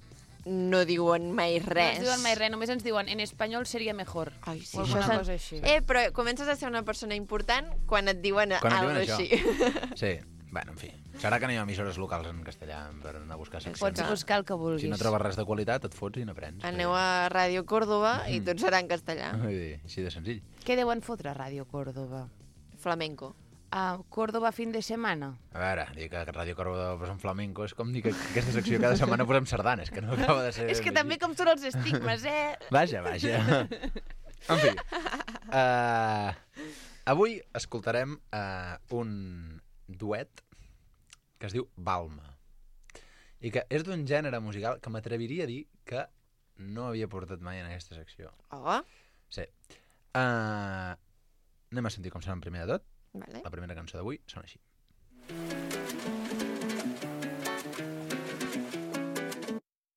no diuen mai No res. ens diuen mai res, només ens diuen en espanyol seria mejor. Ai, sí, O això alguna s'ha- cosa així. Eh, però comences a ser una persona important quan et diuen Quan et algo diuen això. així. Sí, bueno, en fi. Serà que no hi ha emissores locals en castellà per anar a buscar seccions. Pots buscar el que vulguis. Si no trobes res de qualitat, et fots i n'aprens. Aneu a Ràdio Còrdoba i tot serà en castellà. Vull dir, així de senzill. Què deuen fotre a Ràdio Córdoba? Flamenco. A Córdoba fin de setmana? A veure, dir que Ràdio Còrdoba posa en flamenco és com dir que aquesta secció cada setmana posem sardanes, que no acaba de ser... És que ben també així. com són els estigmes, eh? Vaja, vaja. En fi. Uh, avui escoltarem uh, un duet que es diu Balma i que és d'un gènere musical que m'atreviria a dir que no havia portat mai en aquesta secció. Oh, Sí. Uh, anem a sentir com serà primer de tot. vale. La primera cançó d'avui sona així.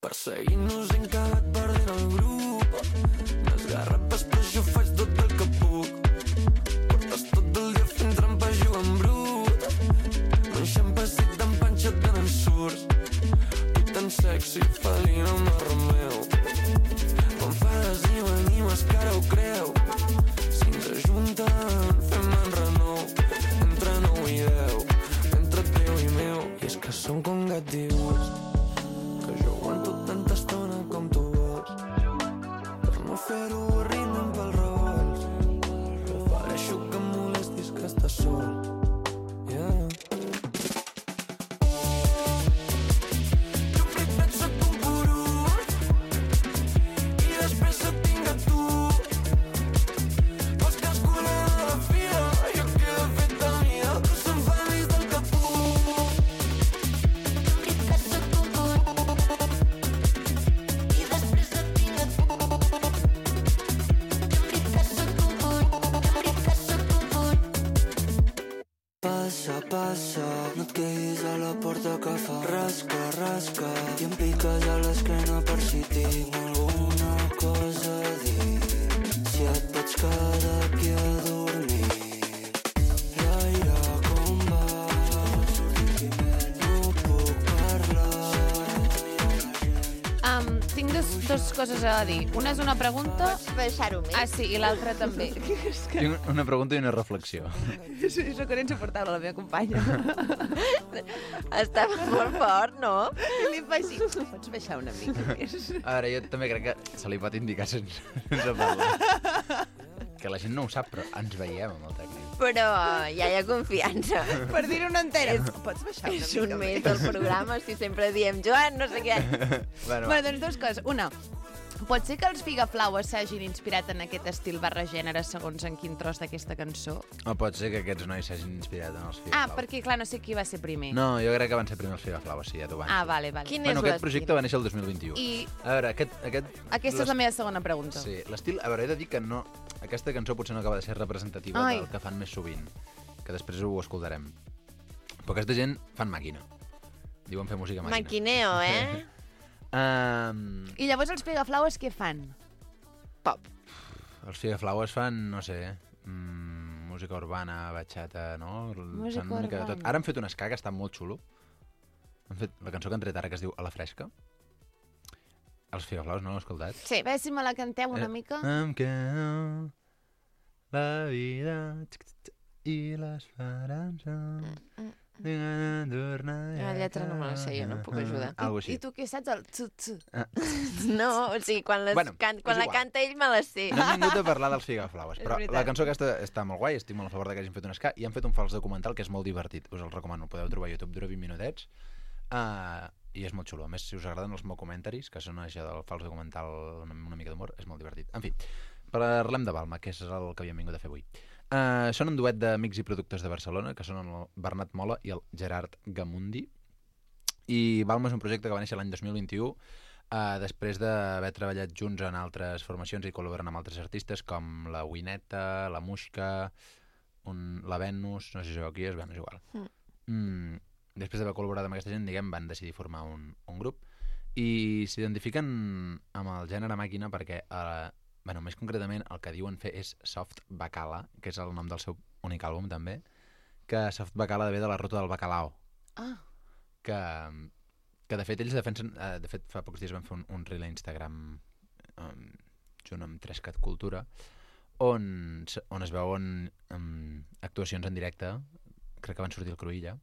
Perseguint-nos hem acabat perdent el grup. M'esgarrapes però jo faig tot el que puc. Portes tot el dia fent trampa jugant brut. Menjant passit d'en panxa tant en surts. Tu tan sexy, felina amb el Romeo. M'enfades i m'animes que ara ho creu. Si ens ajunten fem enrenou. Entre nou i deu, entre teu i meu. I és que som com gat i gos, que jo aguanto tanta estona com tu vols. Per no fer-ho rinden pel revolts. Prefereixo que em molestis que estàs sol. Yeah. Jo primer soc un purut i després et tinc a tu. Vols que es cura de la fira, jo quedo feta mia, que se'n fa més del que puc. Que sóc un punt i després et tinc a tu. Que sóc un punt, que sóc un punt. Passa, passa, no et quedis a la porta que fa rasca, rasca i em piques a l'esquena per si tinc alguna cosa a dir. Si et vaig quedar aquí a dormir. L'aire com va, no puc parlar. Um, tinc dos, dos coses a dir. Una és una pregunta... Pots baixar-ho més? Ah, sí, i l'altra també. Tinc una pregunta i una reflexió. És que era insuportable, la meva companya. Estava molt fort, no? I li faig així, pots baixar una mica més? A veure, jo també crec que se li pot indicar sense, sense parlar. Que la gent no ho sap, però ens veiem amb el tècnic. Però ja hi ha confiança. Per dir-ho no enteres. Pots baixar una És mica un mes del programa, si sempre diem Joan, no sé què. Bueno, Bueno, doncs dues coses. Una, pot ser que els Figaflaues s'hagin inspirat en aquest estil barra gènere segons en quin tros d'aquesta cançó? o pot ser que aquests nois s'hagin inspirat en els Ah, Figaflaues. perquè clar, no sé qui va ser primer. No, jo crec que van ser primer els Figaflaues, sí, ja t'ho van. Ah, vale, vale. Quin Bueno, és aquest l'estil? projecte va néixer el dos mil vint-i-u. I A veure, aquest... aquest aquesta és la meva segona pregunta. Sí, l'estil... A veure, he de dir que no... Aquesta cançó potser no acaba de ser representativa Ai. del que fan més sovint, que després ho escoltarem. Però aquesta gent fan màquina. Diuen fer música màquina. Maquineo, eh? Um, I llavors els Figaflaues què fan? Pop. els Figaflaues fan, no sé, mm, música urbana, bachata, no? Música Fan una mica de tot. urbana. Ara han fet un ska que està molt xulo. Han fet la cançó que han tret ara que es diu A la fresca. Els Figaflaues no l'heu escoltat? Sí. A veure si me la canteu una Eh, mica. Em quedo la vida tx, tx, tx, i l'esperança de tornar La lletra no me la sé, jo no puc ajudar. Algo així. I tu què saps? El tzu, tzu. No, o sigui, quan, les Bueno, can... quan és la igual. canta ell me la sé. No hem vingut a parlar dels Figaflaues, És però veritat. la cançó aquesta està molt guai, estic molt a favor de que hagin fet un ska, i han fet un fals documental que és molt divertit, us el recomano, el podeu trobar a YouTube, dura vint minutets, uh, i és molt xulo. A més, si us agraden els mockumentaries, que són això del fals documental amb una mica d'humor, és molt divertit. En fi, parlem de Balma, que és el que havíem vingut a fer avui. Uh, són un duet d'amics i productors de Barcelona, que són el Bernat Mola i el Gerard Gamundi, i Balma és un projecte que va néixer l'any dos mil vint-i-u, uh, després d'haver treballat junts en altres formacions i col·laborant amb altres artistes com la Wineta, la Muixca, un, la Venus, no sé si sabeu qui és, bueno, és igual. Mm. Mm, després d'haver col·laborat amb aquesta gent, diguem, van decidir formar un, un grup i s'identifiquen amb el gènere màquina perquè uh, bueno, més concretament, el que diuen fer és Soft Bacala, que és el nom del seu únic àlbum, també, que Soft Bacala ve de la ruta del bacalao. Ah. Que, que de fet, ells defensen... Eh, de fet, fa pocs dies van fer un, un reel a Instagram um, junt amb tres cat Cultura, on, on es veuen um, actuacions en directe, crec que van sortir al Cruïlla,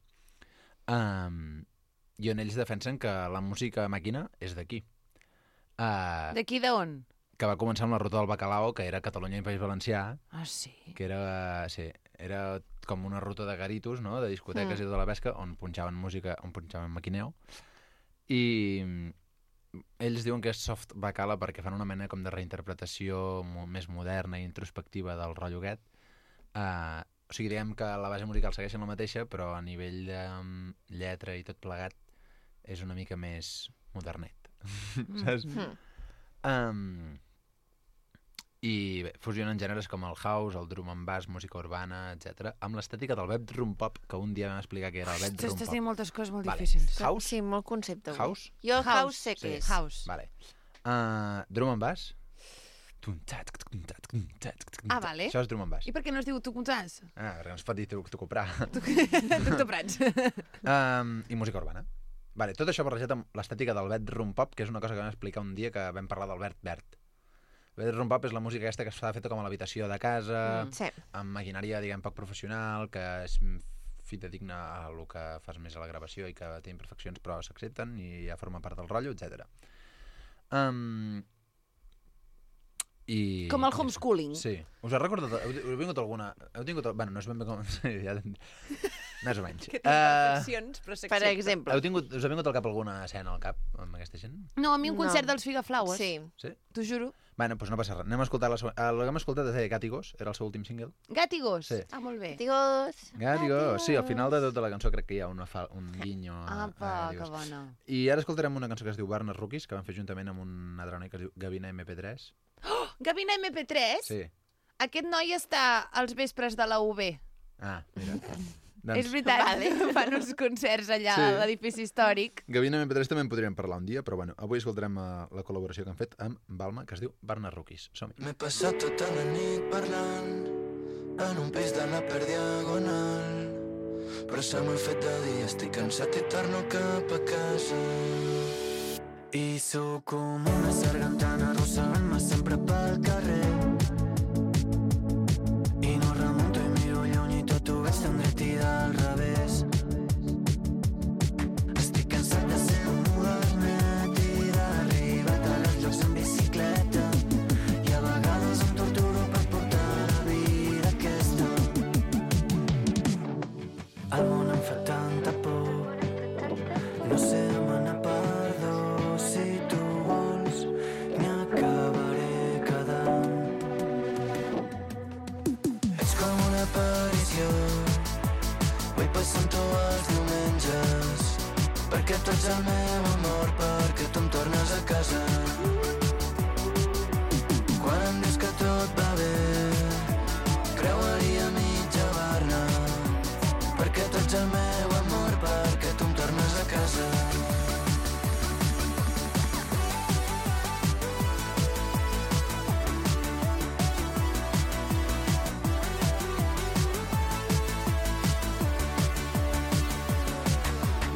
um, i on ells defensen que la música màquina és d'aquí. Uh, D'aquí d'on? que va començar amb la ruta del bacalao, que era Catalunya i País Valencià, Ah, sí? que era, sí, era com una ruta de garitos, no?, de discoteques Mm. i tota la pesca, on punxaven música, on punxaven maquineu. I mm, ells diuen que és soft bacala perquè fan una mena com de reinterpretació mo més moderna i introspectiva del rotllo aquest. Uh, o sigui, diguem que la base musical segueix la mateixa, però a nivell de um, lletra i tot plegat és una mica més modernet. Saps? Mm. Um, I bé, fusionen gèneres com el house, el drum and bass, música urbana, etcètera, amb l'estètica del bedroom pop, que un dia vam explicar que era el bedroom Estàs pop. dient moltes coses molt Vale. difícils. House? Sí, molt concepte. avui. House? Jo el House, house sé sí. què és. House. Vale. Uh, drum and bass? Ah, vale. Això és drum and bass. I per què no es diu tu comptàs? Ah, perquè no es pot dir tu, tu comprar. Doctor Prats. um, I música urbana. Vale, tot això barrejat amb l'estètica del bedroom pop, que és una cosa que vam explicar un dia que vam parlar d'Albert Bert. El bedroom pop és la música aquesta que està feta com a l'habitació de casa, Mm. Sí. amb maquinària, diguem, poc professional, que és fidedigna a el que fas més a la gravació i que té imperfeccions però s'accepten i ja forma part del rotllo, etcètera. Um, i... Com el homeschooling. Sí. Us ha recordat... Heu, heu vingut alguna... Heu tingut... Bueno, no és ben bé com... Sí, ja... Més o menys. Que té Uh, imperfeccions, però Per s'accepta. exemple. heu tingut... Us ha vingut al cap alguna escena al cap amb aquesta gent? No, a mi un No. concert dels Figaflaues. Sí. Sí? T'ho juro. Bueno, doncs no passa res. Anem a escoltar la següent. El que hem escoltat és Gatigos, era el seu últim single. Gatigos? Sí. Ah, molt bé. Digos. Gatigos. Sí, al final de tota la cançó crec que hi ha una fa... un guinyo a, Apa, a que Gatigos. bona. I ara escoltarem una cançó que es diu Barnes Rookies, que van fer juntament amb un altre noi que es diu Gavina eme pe tres. Gavina eme pe tres? Sí. Aquest noi està als vespres de la u be. Ah, mira. És veritat, Vale. fan uns concerts allà Sí. a l'edifici històric. Gavina eme pe tres també en podríem parlar un dia, però bueno, avui escoltarem uh, la col·laboració que han fet amb Balma, que es diu Barnes Rookies. Som-hi. M'he passat tota la nit parlant en un pis de la per diagonal, però se m'ha fet de dia, estic cansat i torno cap a casa. I sóc com una sargantana arrossegant-me sempre pel carrer, i no remunto i miro lluny i tot ho veig tan dret i del revés. Estic cansat de ser un modernet i d'arribar tard als llocs en bicicleta, i a vegades em torturo per portar la vida aquesta. El món em fa tanta por, no sé demanar perdó, si tu vols m'hi acabaré quedant. Ets com una aparició, vull passant-ho els diumenges, perquè tu ets el meu amor, perquè tu em tornes a casa. Quan em dius que tot va bé, creuaria mitja Barna, perquè tu ets el meu amor, perquè tu em tornes a casa.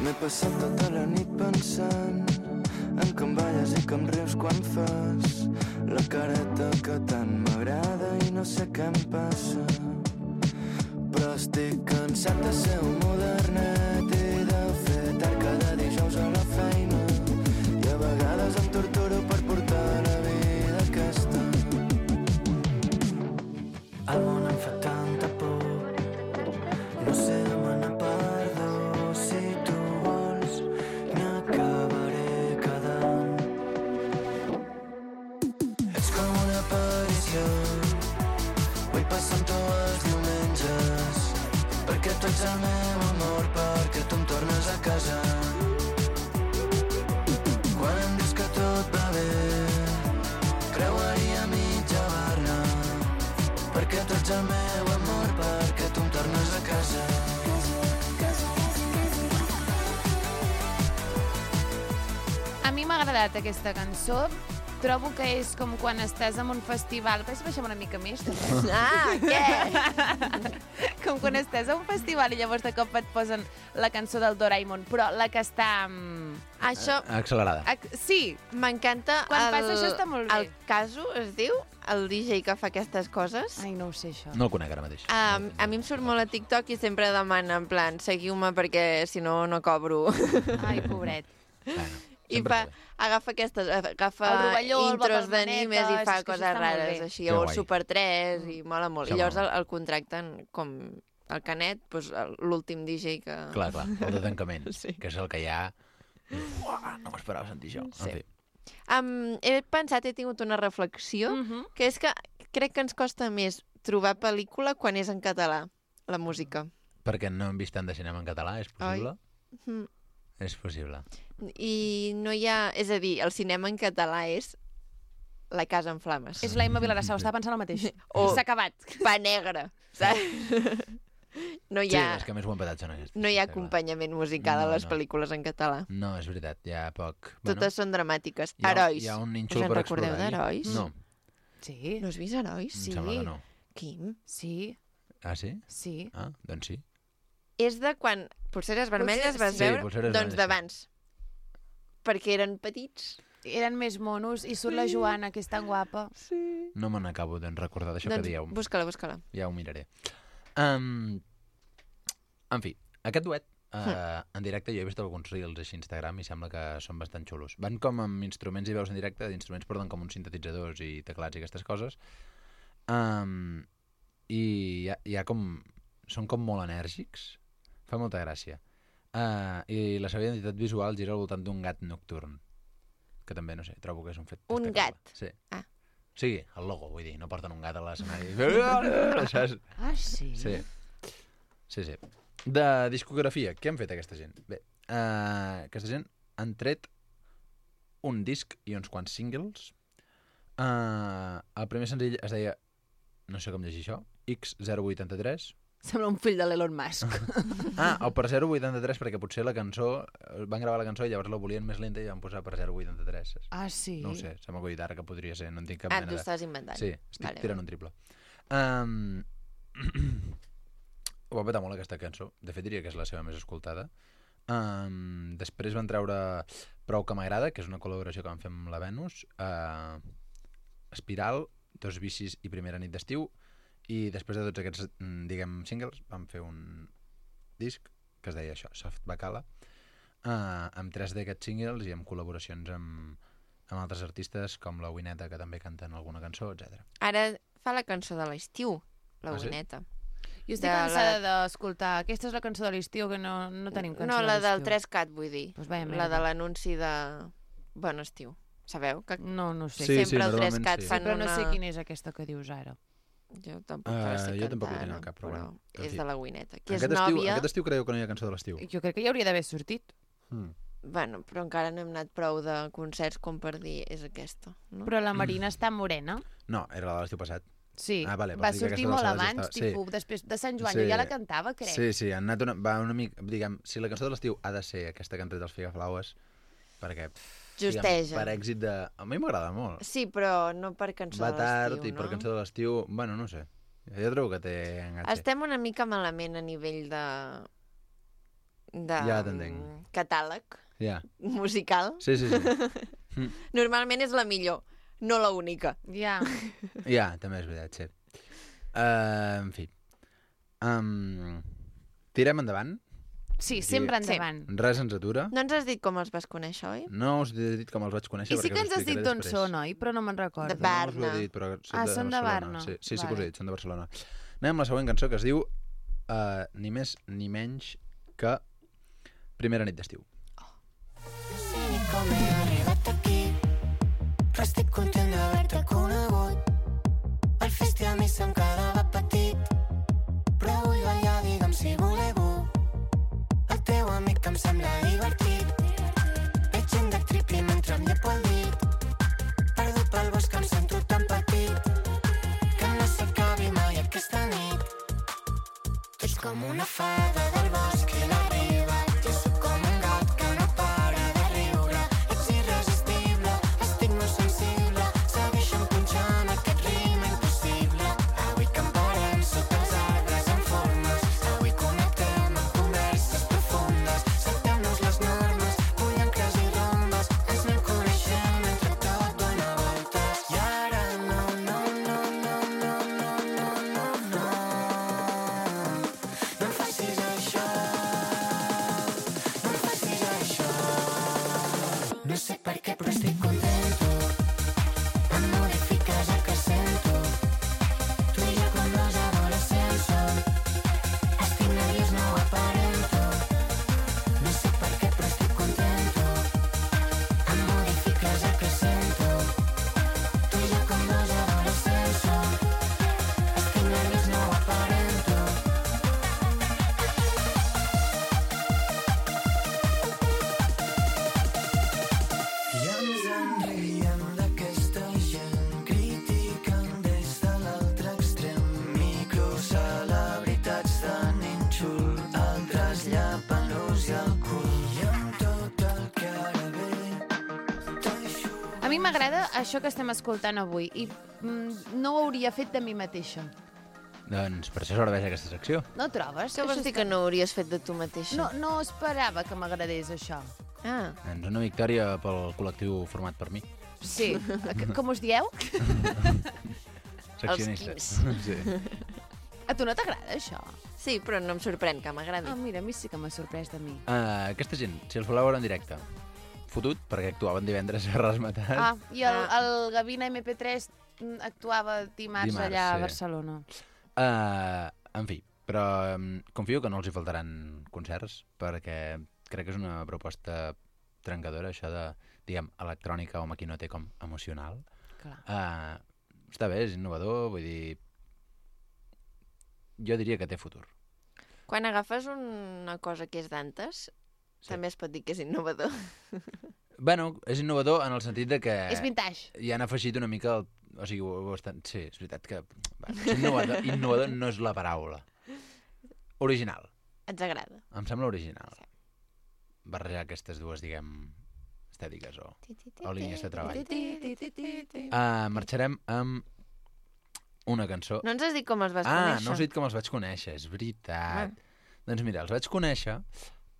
M'he passat tota la nit pensant en com balles i com rius quan fas la careta que tant m'agrada i no sé què em passa, però estic cansat de ser un modernet i de fer tard cada dijous a la feina, i a vegades em torturo per portar la vida aquesta. El món em fa tanta por, no sé demanar perdó, si tu vols m'hi acabaré quedant. Ets com una aparició, vull passant-ho els diumenges, perquè tu ets el meu amor, perquè tu em tornes a casa. Quan em dius que tot va bé, creuaria mitja Barna, perquè tu ets el meu amor, perquè tu em tornes a casa. A mi m'ha agradat aquesta cançó trobo que és com quan estàs en un festival... Pots baixar una mica més? Ah, què? Com quan estàs a un festival i llavors de cop et posen la cançó del Doraemon, però la que està... mm, Això Accelerada. ac- Sí, m'encanta. Quan el, passa això està molt bé. El Casu es diu, el D J que fa aquestes coses. ai, no ho sé, això. No el conec ara mateix. Um, a mi em surt molt a TikTok i sempre demana, en plan, seguiu-me perquè si no, no cobro. Ai, pobret. Bueno, I sempre fa, està bé. agafa aquestes, agafa El rovelló, el intros papel d'animes i manetes, fa és que això coses està molt rares, bé. així, Que o el guai. Super tres, i mola molt. Això I llavors mola. el, el contracten com el Canet, doncs, el- l'últim D J que... Clar, clar, el de tancament, Sí. que és el que hi ha... Uah, no m'esperava sentir això. Sí. En fi. Um, he pensat, he tingut una reflexió, Mhm. que és que crec que ens costa més trobar pel·lícula quan és en català, la música. Perquè no hem vist tant de cinema en català, és possible? Mm. És possible. I no hi ha... És a dir, el cinema en català és La casa en flames. És la Imma Vilarasau, estava pensant el mateix. O- S'ha acabat. Pa negre, saps? No hi Sí, ha, les que més ho han petat són aquestes. no hi ha està clar. acompanyament musical No, a les no. pel·lícules en català. No, és veritat, hi ha poc. Totes són dramàtiques. hi ha, Herois. Hi ha un Us nínxol en per recordeu explorar. d'Herois? No, Sí, No has vist Herois? em sembla que no. Quim? sí, Ah, sí? sí. Ah, doncs sí. És de quan Polseres Vermelles vas sí. veure? Sí, Polseres Doncs Vermelles, sí. d'abans. Perquè eren petits. Eren més monos i surt la Joana, que és tan guapa. Sí. No me n'acabo de recordar d'això Doncs que dieu. busca-la, busca-la. Ja ho miraré. Um, en fi, aquest duet, uh, en directe jo he vist alguns reels així a Instagram i sembla que són bastant xulos. Van com amb instruments i veus en directe, d'instruments porten com uns sintetitzadors i teclats i aquestes coses. Um, I hi ha, hi ha com... Són com molt enèrgics. Fa molta gràcia. Uh, I la seva identitat visual gira al voltant d'un gat nocturn. Que també, no sé, trobo que és un fet Un destacable. gat? Sí. Ah. Sí, el logo, vull dir, no porten un gat a l'escenari. Saps? Ah, sí? Sí. Sí, sí. De discografia, què han fet aquesta gent? Bé, uh, aquesta gent han tret un disc i uns quants singles. Uh, el primer senzill es deia, no sé com llegir això, X zero vuit tres. Sembla un fill de l'Elon Musk. Ah, o per zero vuit tres, perquè potser la cançó, eh, van gravar la cançó i llavors la volien més lenta i van posar per zero vuit tres. Ah, sí? No ho sé, se m'ha acudit ara que podria ser, no en tinc cap Ah, mena t'ho de... estàs inventant. Sí, estic Vale, tirant vale. un triple. Um, ho va petar molt aquesta cançó. De fet, diria que és la seva més escoltada. Um, després van treure Prou que m'agrada, que és una col·laboració que van fer amb la Venus. Uh, Espiral, Dos bicis i Primera nit d'estiu. I després de tots aquests, mm, diguem, singles, van fer un disc que es deia això, Soft Bacala, uh, amb tres d'aquests singles i amb col·laboracions amb, amb altres artistes com la Wineta, que també canten alguna cançó, etcètera. Ara fa la cançó de l'estiu, la Ah, sí? Wineta. Jo estic De la- cansada d'escoltar. Aquesta és la cançó de l'estiu, que no, no tenim cançó No, la de del l'estiu. tres cat, vull dir. Pues vaya la merda. de l'anunci de Bon Estiu. Sabeu? Que No, no ho sé. Sí, sempre sí, el normalment tres cat sí. fan Però no una... sé quina és aquesta que dius ara. Jo tampoc Uh, uh, sé jo tampoc ho cantar, tinc al no? cap, però però bueno, en és fi. de la Wineta. Que és Aquest estiu, nòvia... aquest estiu creieu que no hi ha cançó de l'estiu? Jo crec que ja hauria d'haver sortit. Mm. Bueno, però encara no hem anat prou de concerts com per dir és aquesta. No? Però la Marina està morena. No, era la de l'estiu passat. Sí, Ah, vale, vols va dir que sortir aquesta molt alçades ja abans, està- sí. tipus, després de Sant Joan. Sí. Jo ja la cantava, crec. Sí, sí, han anat una, va una mica... Diguem, si la cançó de l'estiu ha de ser aquesta que han tret els Figaflaues, perquè... Justeja. Per èxit de... A mi m'agrada molt. Sí, però no per cançó Va de tard l'estiu, i per no? cançó de l'estiu... Bueno, no sé. Jo trobo que té enganxe. Estem una mica malament a nivell de... de... Ja t'entenc. mm, catàleg Ja. musical. Sí, sí, sí. Normalment és la millor, no la única. Ja. Ja, també és veritat, sí. Uh, en fi. Um, tirem endavant. Sí, Sí. sempre Sí. endavant. Res ens atura. No ens has dit com els vas conèixer, oi? No us he dit com els vaig conèixer. I sí perquè que us ens has dit explicaré d'on després. són, oi? Però no me'n recordo. De No us ho Barna. he dit, però són Ah, de són de Barcelona. Barna. Sí, sí, sí que Vale. us he dit, són de Barcelona. Anem amb la següent cançó que es diu uh, ni més ni menys que Primera nit d'estiu. No sé ni com he arribat aquí, però estic content d'haver-te conegut. El festi a mi se'm quedava petit, però vull ballar, digue'm si voleu. El teu amic em sembla divertit, veig gent de tripli mentre em llepo el dit. Perdut pel bosc em sento tan petit, que no s'acabi mai aquesta nit. Tu ets com una fada del bosc i la riba, jo sóc com un gat que no para de riure. Ets irresistible, estic molt sensible, riem d'aquesta gent, critiquen des de l'altre extrem, microcelebritats de nínxol, altres llapen-los i el cul, i amb tot el que ara ve t'aixugo. A mi m'agrada això que estem escoltant avui i mm, no ho hauria fet de mi mateixa. Doncs per això serveix aquesta secció. No trobes? Què vols Això dir està- que no ho hauries fet de tu mateixa? No, no esperava que m'agradés això. Ah, Doncs una victòria pel col·lectiu format per mi. Sí. C- Com us dieu? Seccionistes. Sí. A tu no t'agrada això? sí, però no em sorprèn que m'agradi. Ah, mira, a mi sí que m'ha sorprès de mi. Uh, aquesta gent, si els voleu veure en directe, fotut, perquè actuaven divendres a Rasmatat. Ah, i el, Ah. el Gavina eme pe tres mm, actuava dimarts, Dimarts, allà a sí. Barcelona. Uh, en fi, però um, confio que no els hi faltaran concerts, perquè crec que és una proposta trencadora, això de, diguem, electrònica o maquinote com emocional. Clar. Uh, està bé, és innovador, vull dir... Jo diria que té futur. Quan agafes una cosa que és d'antes, Sí. també es pot dir que és innovador. Bueno, és innovador en el sentit de que... És vintage. hi han afegit una mica... El, o sigui, ho, ho estan, sí, és veritat que... Bueno, innovador, innovador no és la paraula. Original. Ens agrada. Em sembla original. Barrejar aquestes dues, diguem, estètiques o, o línies de treball. Uh, marxarem amb una cançó. No ens has dit com els vas ah, conèixer. no us he dit com els vaig conèixer, és veritat. Ah. Doncs mira, els vaig conèixer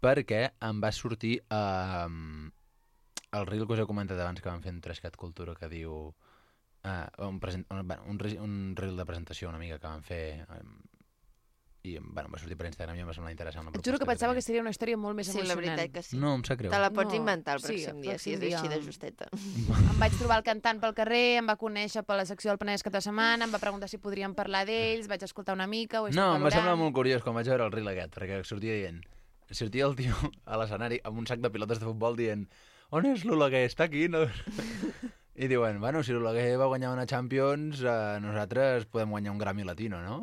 perquè em va sortir uh, el reel que us he comentat abans que vam fer en Trashcat Cultura que diu... Uh, un, present, un, bueno, un, re- un reel de presentació una mica que vam fer um, i bueno, em va sortir per Instagram i em va semblar interessant. Una Et juro que pensava que tenia. seria una història molt més Sí, la emocionant. veritat que sí. No, em sap greu. Te la pots No, inventar el sí, pròxim el dia, pròxim si és dia. així de justeta. Em vaig trobar el cantant pel carrer, em va conèixer per la secció del Penedès cada setmana, em va preguntar si podríem parlar d'ells, vaig escoltar una mica, ho he estat No, em va valorant. semblar molt curiós quan vaig veure el reel aquest, perquè sortia dient... Sortia el tio a l'escenari amb un sac de pilotes de futbol dient on és l'Oleguer? Està aquí? No? I diuen, bueno, si l'Oleguer va guanyar una Champions, eh, nosaltres podem guanyar un Grammy Latino, no?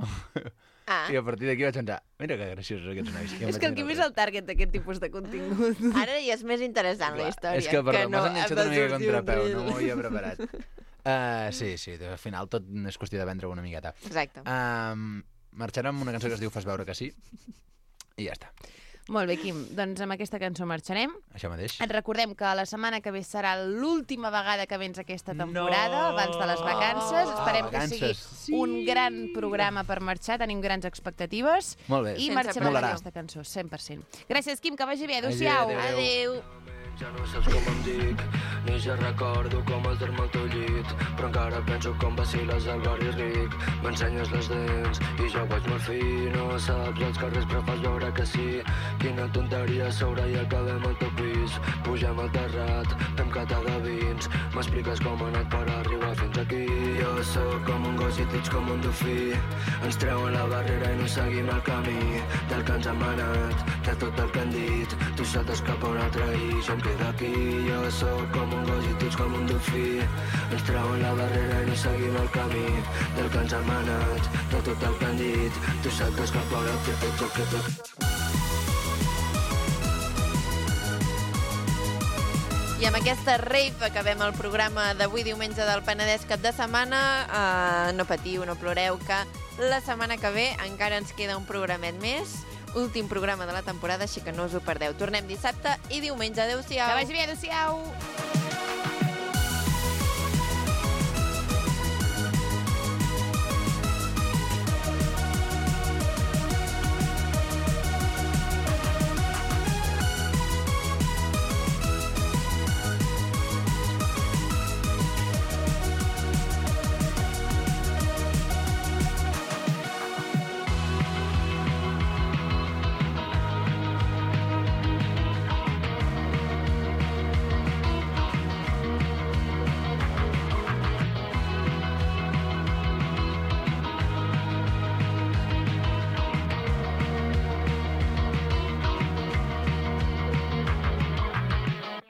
Ah, I a partir d'aquí vaig pensar, mira que graciosos aquests nois. I em És vaig que el mirar Quim és reel. el target d'aquest tipus de contingut. ara ja és més interessant la Clar, història. és que, perdó, no m'has enganxat una ha de mica sortir un contrapeu, reel. no m'ho havia preparat. Uh, sí, sí, al final tot és qüestió de vendre una miqueta. Exacte. Um, marxarem amb una cançó que es diu Fas veure que sí, i ja està. Molt bé, Quim, doncs amb aquesta cançó marxarem. Això mateix. Et recordem que la setmana que ve serà l'última vegada que vens aquesta temporada, No! abans de les vacances. Ah, Esperem que vacances. sigui un gran programa per marxar, tenim grans expectatives. Molt bé. I Sense marxem amb Molarà. aquesta cançó, cent per cent. Gràcies, Quim, que vagi bé. Vagi bé, Adéu-siau. adéu. Adéu. Ja no saps com em dic, ni ja recordo com el terme al teu llit, però encara penso com vaciles al barri ric. M'ensenyes les dents i jo vaig molt fi, no saps els carrers però fas veure que sí. Quina tonteria sobre i acabem al teu pis, pugem al terrat, fem cata de vins, m'expliques com ha anat per arribar fins aquí. Jo sóc com un gos i tu ets com un dofí, ens treuen la barrera i no seguim el camí del que ens han manat, de tot el que han dit, tu saltes cap a un altre i jo em quedo aquí. Jo sóc com un gos i tu ets com un dofí, ens treuen la barrera i no seguim el camí del que ens han manat, de tot el que han dit, tu saltes cap a un altre i jo em quedo aquí. I amb aquesta rave acabem el programa d'avui diumenge del Penedès cap de setmana. Uh, no patiu, no ploreu, que la setmana que ve encara ens queda un programet més. Últim programa de la temporada, així que no us ho perdeu. Tornem dissabte i diumenge. Adéu-siau. Que vagi bé, adéu-siau.